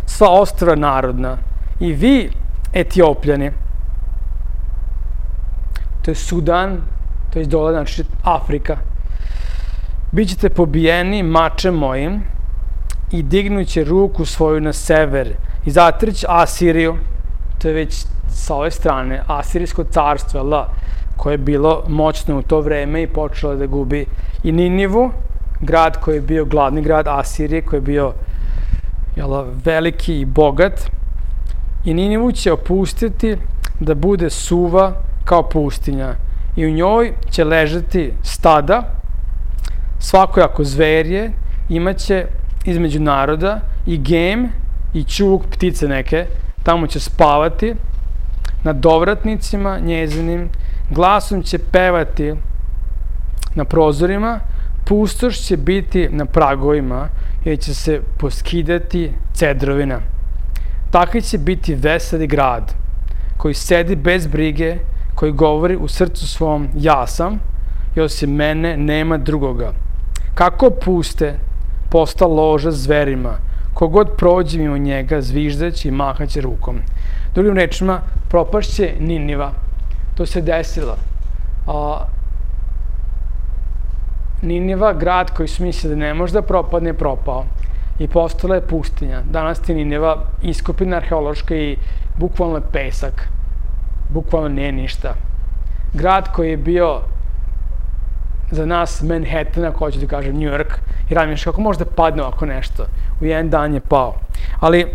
sva ostrva narodna. I vi, Etiopljani, to je Sudan, to je dole, znači Afrika, bit ćete pobijeni mačem mojim i dignuće ruku svoju na sever i zatrć Asiriju, to je već sa ove strane, Asirijsko carstvo, la, koje je bilo moćno u to vreme i počelo da gubi i Ninivu, grad koji je bio glavni grad Asirije, koji je bio jel, veliki i bogat, i Ninivu će opustiti da bude suva kao pustinja i u njoj će ležati stada, svakojako zverje, imaće između naroda i gem i ćuk, ptice neke, tamo će spavati, nad dovratnicima njezinim, glasom će pevati na prozorima, pustoš će biti na pragovima, jer će se poskidati cedrovina. Takav će biti veseli grad, koji sedi bez brige, koji govori u srcu svom ja sam, i osim mene nema drugoga. Kako puste posta loža zverima, kogod prođe mimo njega zviždaći i mahaće rukom. Drugim rečima, propašće Niniva. To se desilo. A, Niniva, grad koji su mislili da ne može da propadne, propao. I postala je pustinja. Danas ti Niniva iskopina arheološka i bukvalno je pesak. Bukvalno nije ništa. Grad koji je bio za nas Manhattan, ako hoću da kažem New York, i razmišljaš kako može da padne ovako nešto. U jedan dan je pao. Ali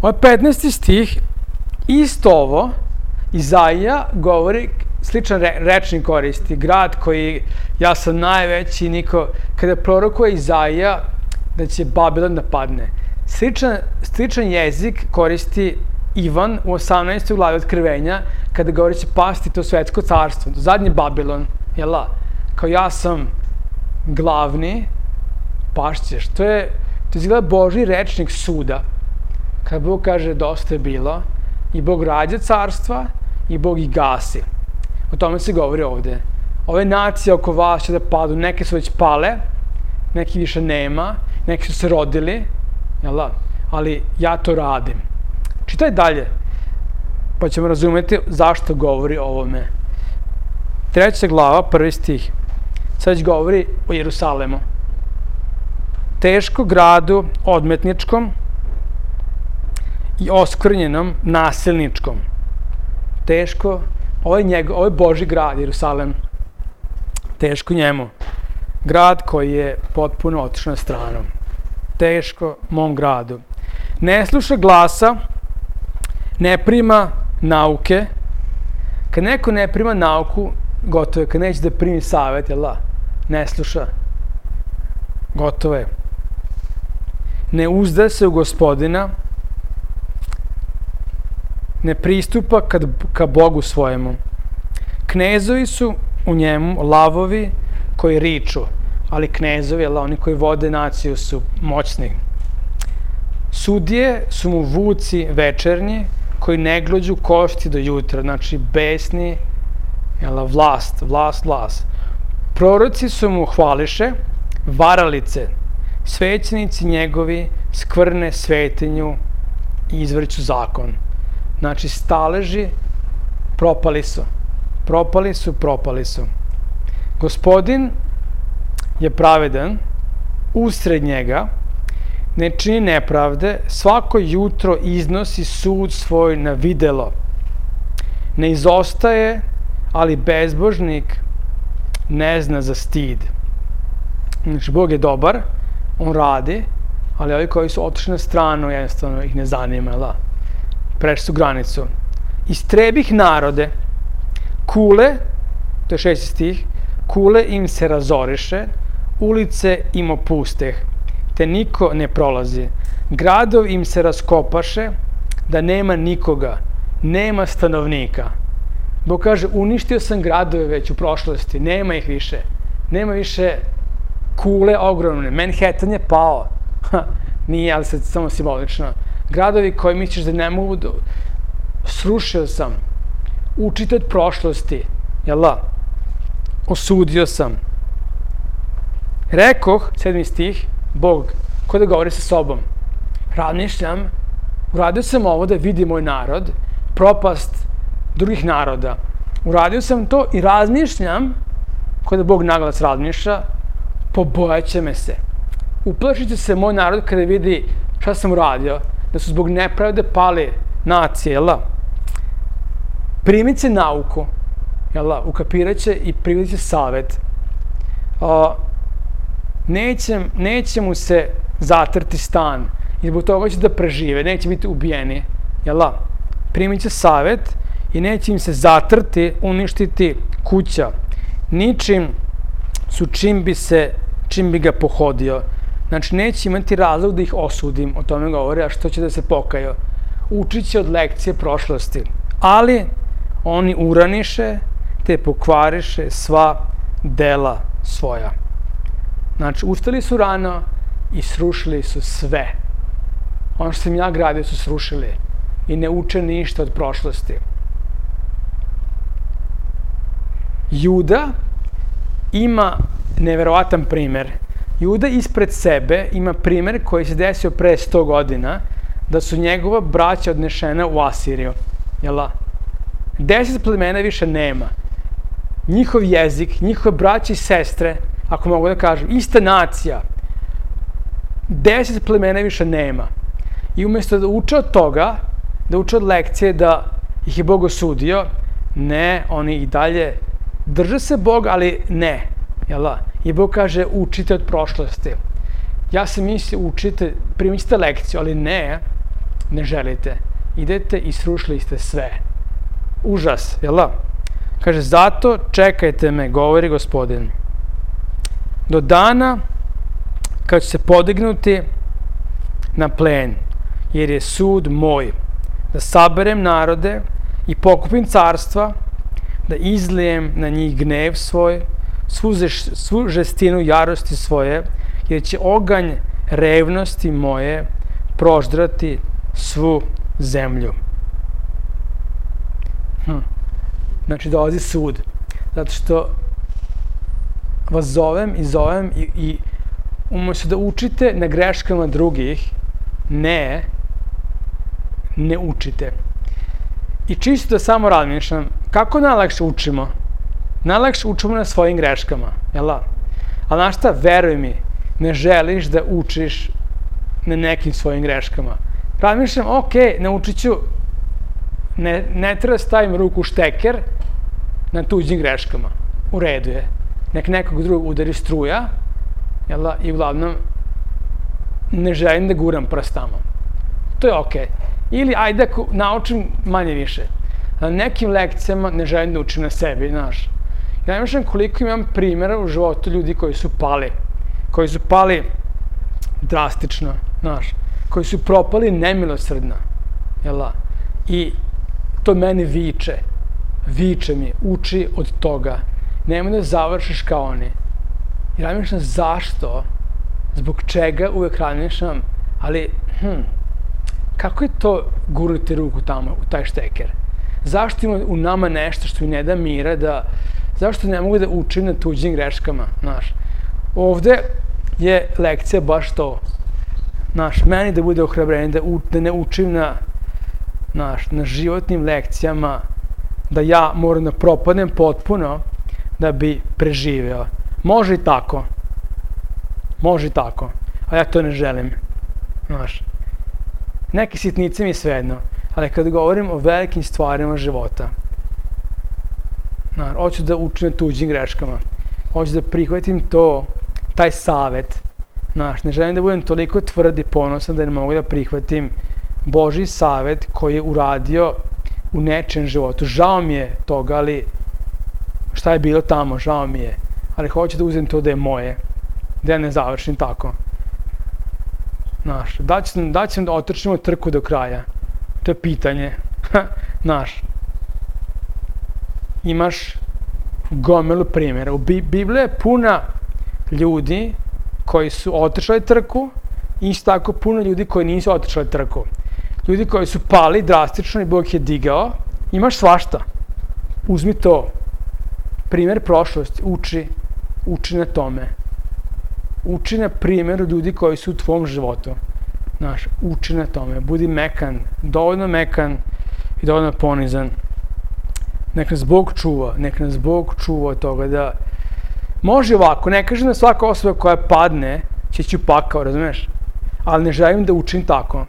ovaj petnaesti stih, isto ovo, Izaija govori, sličan re, rečnik koristi, grad koji, ja sam najveći, niko, kada prorokuje Izaija da će Babilon da padne. Sličan, sličan jezik koristi Ivan u osamnaestoj glavi Otkrivenja, kada govori će pasti to svetsko carstvo, zadnji Babilon, jela, kao ja sam glavni, pašćeš. To je, to izgleda Božji rečnik suda, kada Bog kaže dosta je bilo, i Bog rađa carstva, i Bog ih gasi. O tome se govori ovde. Ove nacije oko vas će da padu, neke su već pale, neki više nema, neki su se rodili, jel, ali ja to radim. Čitaj dalje, pa ćemo razumeti zašto govori o ovome. Treća glava, prvi stih, sad već govori o Jerusalemu. Teško gradu odmetničkom i oskvrnjenom nasilničkom. Teško, ovo je, njego, ovo je Božji grad, Jerusalem. Teško njemu. Grad koji je potpuno otišao na stranu. Teško mom gradu. Ne sluša glasa, ne prima nauke. Kad neko ne prima nauku, gotovo je. Kad neće da primi savjet, jel da? Ne sluša. Gotovo je. Ne uzda se u Gospodina, ne pristupa kad, ka Bogu svojemu. Knezovi su u njemu lavovi koji riču, ali knezovi, jel, oni koji vode naciju su moćni. Sudije su mu vuci večernji koji ne glođu košti do jutra, znači besni, jel, vlast, vlast, vlast. Proroci su mu hvališe, varalice, svećenici njegovi skvrne svetinju i izvrću zakon. Znači, staleži propali su. Propali su, propali su. Gospodin je pravedan, usred njega, ne čini nepravde, svako jutro iznosi sud svoj na videlo. Ne izostaje, ali bezbožnik ne zna za stid. Znači, Bog je dobar, on radi, ali ovi koji su otišli na stranu, jednostavno ih ne zanima, da? Prešli su granicu. Istrebih narode, kule, to je šesti stih, kule im se razoriše, ulice im opusteh, te niko ne prolazi. Gradov im se raskopaše, da nema nikoga, nema stanovnika. Bog kaže, uništio sam gradove već u prošlosti, nema ih više. Nema više kule ogromne. Manhattan je pao. Nije, ali sad samo simbolično. Gradovi koji misliš da ne mogu da... Srušio sam. Učite od prošlosti. Jel da? Osudio sam. Rekoh, sedmi stih, Bog, ko da govori sa sobom. Razmišljam, uradio sam ovo da vidi moj narod, propast drugih naroda. Uradio sam to i razmišljam, ko da Bog naglas razmišlja, pobojaće me se. Uplašit će se moj narod kada vidi šta sam uradio, da su zbog nepravde pali nacije, jel da? Primit će nauku, jel da? Ukapirat će i primit će savjet. Uh, neće, neće mu se zatrti stan i zbog toga će da prežive, neće biti ubijeni. jel da? Primit će savjet i neće im se zatrti, uništiti kuća. Ničim su čim bi se, čim bi ga pohodio. Znači, neće imati razlog da ih osudim, o tome govori, a što će da se pokaju. Učit će od lekcije prošlosti. Ali oni uraniše, te pokvariše sva dela svoja. Znači, ustali su rano i srušili su sve. Ono što sam ja gradio su srušili i ne uče ništa od prošlosti. Juda ima neverovatan primer. Juda ispred sebe ima primer koji se desio pre sto godina, da su njegova braća odnešena u Asiriju. Jel da? Deset plemena više nema. Njihov jezik, njihove braće i sestre, ako mogu da kažem, ista nacija. Deset plemena više nema. I umjesto da uče od toga, da uče od lekcije da ih je Bog osudio, ne, oni i dalje drže se Boga, ali ne. Jel da? I Bog kaže, učite od prošlosti. Ja sam mislio, učite, primit ćete lekciju, ali ne, ne želite. Idete i srušili ste sve. Užas, jel da? Kaže, zato čekajte me, govori Gospodin, do dana kad ću se podignuti na plen, jer je sud moj, da saberem narode i pokupim carstva, da izlijem na njih gnev svoj, svu, žeš, svu žestinu jarosti svoje, jer će oganj revnosti moje proždrati svu zemlju. Hm. Znači, dolazi sud. Zato što vas zovem i zovem i, i umjesto da učite na greškama drugih, ne, ne učite. I čisto da samo razmišljam, kako najlakše učimo? Najlakše učimo na svojim greškama, jel da? Ali znaš šta, veruj mi, ne želiš da učiš na nekim svojim greškama. Razmišljam, ok, naučit ću, ne, ne treba stavim ruku u šteker na tuđim greškama. U redu je. Nek nekog drugog udari struja, jel da? I uglavnom ne želim da guram prstama. To je ok. Ili ajde ako naučim manje više. Na nekim lekcijama ne želim da učim na sebi, znaš. Ja ne znam koliko imam primjera u životu ljudi koji su pali. Koji su pali drastično, znaš. Koji su propali nemilosrdno, jel da? I to meni viče. Viče mi, uči od toga. Nemoj da završiš kao oni. I razmišljam zašto, zbog čega uvek razmišljam, ali hm, kako je to gurnuti ruku tamo u taj šteker? Zašto ima u nama nešto što mi ne da mira, da, zašto ne mogu da učim na tuđim greškama, znaš? Ovde je lekcija baš to, znaš, meni da bude ohrabrenje, da, u, da ne učim na, znaš, na životnim lekcijama, da ja moram da propadnem potpuno da bi preživeo. Može i tako. Može i tako. A ja to ne želim. Znaš. Neke sitnice mi je svejedno. Ali kad govorim o velikim stvarima života, znaš, hoću da učim na tuđim greškama. Hoću da prihvatim to, taj savet. Znaš, ne želim da budem toliko tvrd i ponosan da ne mogu da prihvatim Božji savet koji je uradio u nečijem životu. Žao mi je toga, ali šta je bilo tamo, žao mi je. Ali hoću da uzem to da je moje. Da ja ne završim tako. Znaš, da ću, da ću da otrčimo trku do kraja. To je pitanje. Znaš, imaš gomilu primjera. U Bibliji je puna ljudi koji su otrčali trku i isto tako puno ljudi koji nisu otrčali trku. Ljudi koji su pali drastično i Bog je digao. Imaš svašta. Uzmi to. Primjer prošlosti. Uči. Uči na tome. Uči na primjeru ljudi koji su u tvom životu. Znaš, uči na tome. Budi mekan. Dovoljno mekan i dovoljno ponizan. Nek nas Bog čuva. Nek nas Bog čuva od toga da može ovako. Ne kažem da svaka osoba koja padne će ću pakao, razumeš? Ali ne želim da učim tako.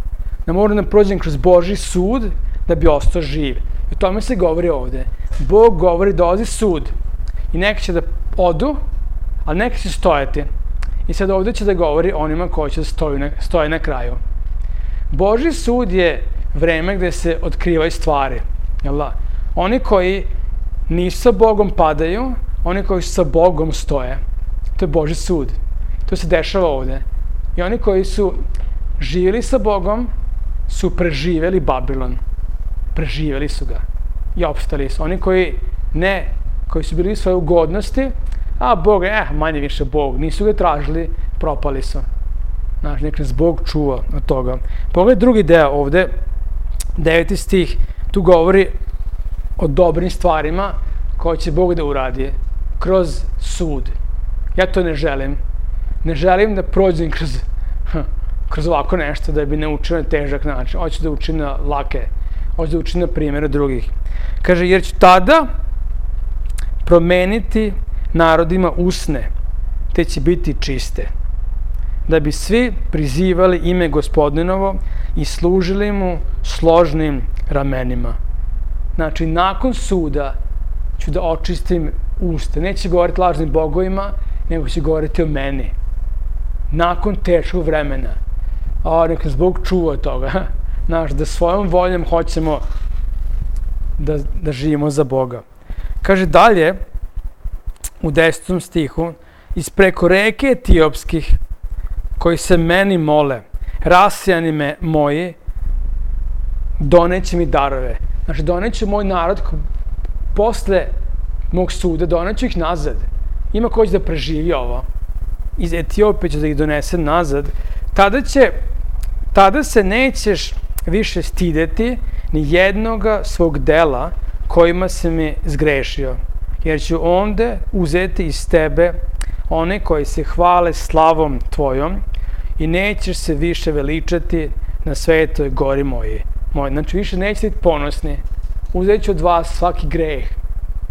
Da moram da prođem kroz Božji sud da bi ostao živ. I o tome se govori ovde. Bog govori dolazi sud. I neki će da odu, ali neki će stojati. I sad ovde će da govori onima koji će da stoju na, stoje na kraju. Božji sud je vreme gde se otkrivaju stvari. Jel da? Oni koji nisu sa Bogom padaju, oni koji su sa Bogom stoje. To je Božji sud. To se dešava ovde. I oni koji su živjeli sa Bogom su preživjeli Babilon. Preživjeli su ga. I opstali su. Oni koji ne, koji su bili u svojoj ugodnosti, a Bog, eh, manje više Bog, nisu ga tražili, propali su. Znaš, nek nas Bog čuva od toga. Pogledaj drugi deo ovde, deveti stih, tu govori o dobrim stvarima koje će Bog da uradi kroz sud. Ja to ne želim. Ne želim da prođem kroz, kroz ovako nešto, da bi ne učio na težak način. Hoću da učim na lake. Hoću da učim na primjeru drugih. Kaže, jer ću tada promeniti narodima usne, te će biti čiste, da bi svi prizivali ime Gospodinovo i služili mu složnim ramenima. Znači, nakon suda ću da očistim usta. Neće govoriti lažnim bogovima, nego će govoriti o meni. Nakon teškog vremena. A, neka nas Bog čuva od toga. Znaš, da svojom voljom hoćemo da, da živimo za Boga. Kaže dalje, u desetom stihu, ispreko reke Etiopskih, koji se meni mole, rasijani me moji, doneće mi darove. Znači, doneće moj narod posle mog suda, doneću ih nazad. Ima ko će da preživi ovo. Iz Etiopije će da ih donese nazad. Tada će, tada se nećeš više stideti ni jednoga svog dela kojima se mi zgrešio. Jer ću onda uzeti iz tebe one koji se hvale slavom tvojom i nećeš se više veličati na svetoj gori moji. Moj. Znači, više nećete biti ponosni. Uzet ću od vas svaki greh.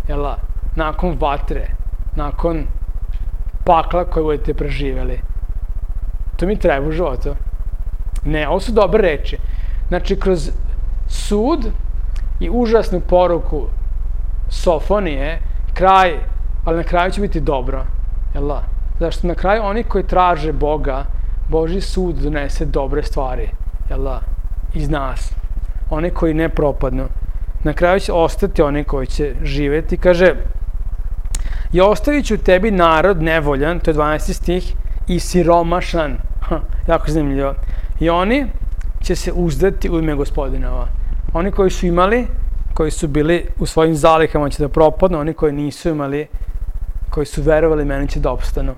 Jela? Nakon vatre. Nakon pakla koje budete preživjeli. To mi treba u životu. Ne, ovo su dobre reči. Znači, kroz sud i užasnu poruku Sofonije, kraj, ali na kraju će biti dobro. Jel da? Zašto na kraju oni koji traže Boga, Božji sud donese dobre stvari. Jel da? Iz nas. Oni koji ne propadnu. Na kraju će ostati oni koji će živjeti. Kaže, i ostavit ću tebi narod nevoljan, to je dvanaesti stih, i siromašan. Ha, jako zanimljivo. I oni će se uzdati u ime Gospodinova. Oni koji su imali, koji su bili u svojim zalihama će da propadnu, oni koji nisu imali, koji su verovali meni će da opstanu.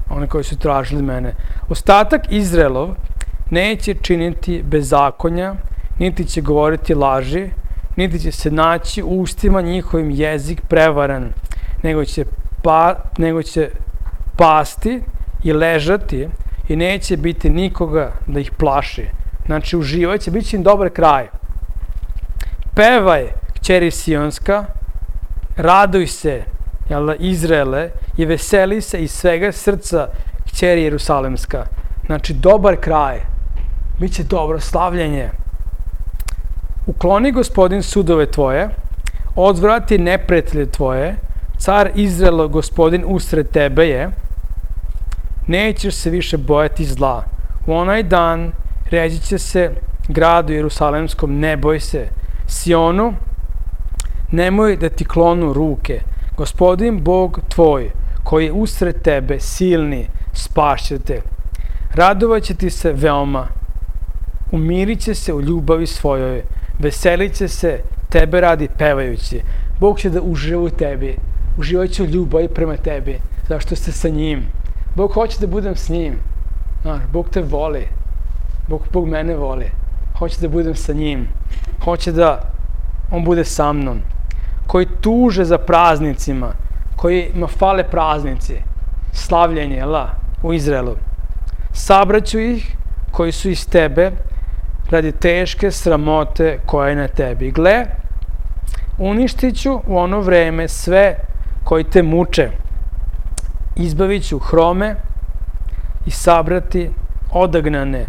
Oni koji su tražili mene. Ostatak Izraelov neće činiti bezakonja, niti će govoriti laži, niti će se naći u ustima njihovim jezik prevaran, nego će, pa, nego će pasti i ležati i neće biti nikoga da ih plaši. Znači, uživat će, bit će im dobar kraj. Pevaj, kćeri Sionska, raduj se, jel da, Izraele, i veseli se iz svega srca, kćeri Jerusalemska. Znači, dobar kraj. Biće dobro slavljenje. Ukloni Gospodin sudove tvoje, odvrati neprijatelje tvoje, car Izraelo, Gospodin usred tebe je, nećeš se više bojati zla. U onaj dan reći će se gradu Jerusalemskom, ne boj se. Sionu, nemoj da ti klonu ruke. Gospodin Bog tvoj, koji je usred tebe, silni, spašće te. Radovat će ti se veoma. Umirit će se u ljubavi svojoj. Veselit će se tebe radi pevajući. Bog će da uživa u tebi. Uživat će u ljubavi prema tebi. Zašto ste sa njim. Bog hoće da budem s njim. Znaš, Bog te voli. Bog, Bog mene voli. Hoće da budem sa njim. Hoće da on bude sa mnom. Koji tuže za praznicima. Koji ima fale praznici. Slavljenje, jel' u Izraelu. Sabraću ih koji su iz tebe radi teške sramote koja je na tebi. Gle, uništit ću u ono vreme sve koji te muče. Izbavit ću hrome i sabrati odagnane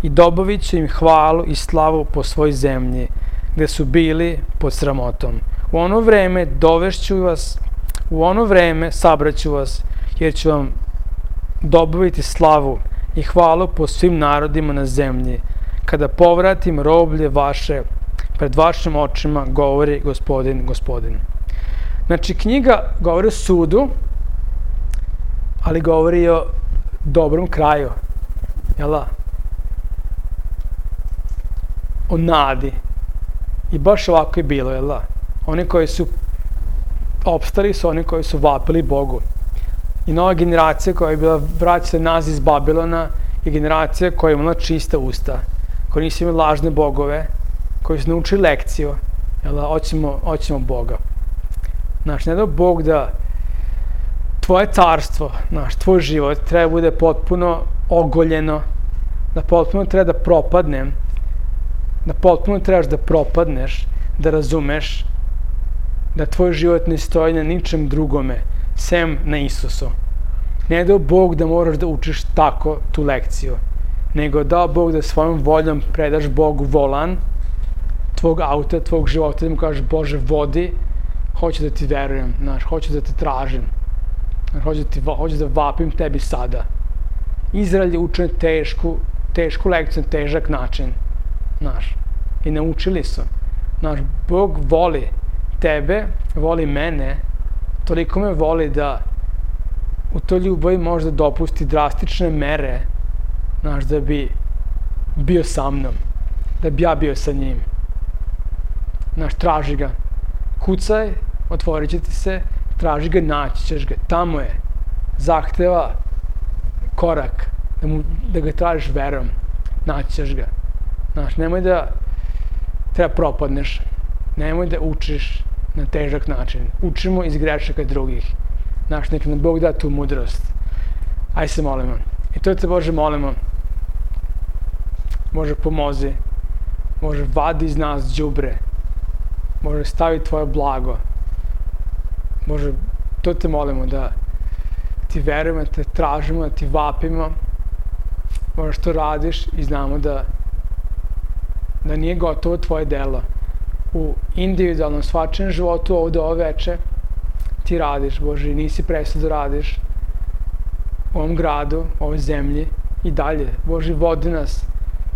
i dobavit ću im hvalu i slavu po svoj zemlji, gde su bili pod sramotom. U ono vreme dovešću vas, u ono vreme sabraću vas, jer ću vam dobaviti slavu i hvalu po svim narodima na zemlji, kada povratim roblje vaše pred vašim očima, govori Gospodin, Gospodin. Znači, knjiga govori o sudu, ali govori o dobrom kraju, jel da? O nadi. I baš ovako je bilo, jel da? Oni koji su opstali su oni koji su vapili Bogu. I nova generacija koja je bila vraćena nas iz Babilona je generacija koja je imala čista usta, koji nisu imali lažne bogove, koji su naučili lekciju, jel da? Hoćemo, hoćemo Boga. Znaš, ne da Bog da tvoje carstvo, znaš, tvoj život treba bude potpuno ogoljeno, da potpuno treba da propadne, da potpuno trebaš da propadneš, da razumeš da tvoj život ne stoji na ničem drugome, sem na Isusu. Ne dao Bog da moraš da učiš tako tu lekciju, nego dao Bog da svojom voljom predaš Bogu volan tvog auta, tvog života, da mu kažeš Bože vodi, hoću da ti verujem, znaš, hoću da te tražim, hoću da, ti, hoću da vapim tebi sada. Izrael je učen tešku, tešku lekciju na težak način, znaš, i naučili su. Znaš, Bog voli tebe, voli mene, toliko me voli da u toj ljubavi možda dopusti drastične mere, znaš, da bi bio sa mnom, da bi ja bio sa njim. Znaš, traži ga. Kucaj, otvorit će ti se, traži ga, naći ćeš ga. Tamo je. Zahteva korak, da, mu, da ga tražiš verom. Naći ćeš ga. Znaš, nemoj da treba propadneš. Nemoj da učiš na težak način. Učimo iz grešaka drugih. Znaš, nek nam Bog da tu mudrost. Aj se molimo. I to te Bože molimo. Bože pomozi. Bože vadi iz nas đubre. Bože stavi tvoje blago. Bože, to te molimo da ti verujemo, da te tražimo, da ti vapimo. Bože, što radiš i znamo da da nije gotovo tvoje delo. U individualnom svačajem životu ovde ove veče ti radiš, Bože, i nisi prestao da radiš u ovom gradu, u ovoj zemlji i dalje. Bože, vodi nas,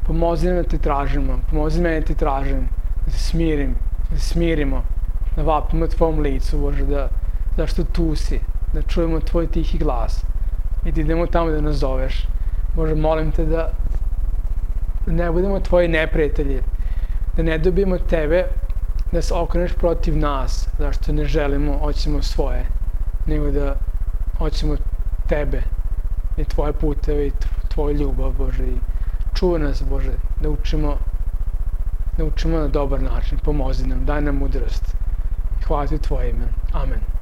pomozi nam da te tražimo, pomozi meni da te tražim, da se smirim, da se smirimo, da vapimo tvojom licu, Bože, da, zašto tu si, da čujemo tvoj tihi glas i da idemo tamo da nas zoveš. Bože, molim te da da ne budemo tvoji neprijatelji, da ne dobijemo tebe, da se okreneš protiv nas, zašto ne želimo, hoćemo svoje, nego da hoćemo tebe i tvoje puteve i tvoju ljubav, Bože, i čuvaj nas, Bože, da učimo, da učimo na dobar način, pomozi nam, daj nam mudrost. Hvala ti tvoje ime. Amen.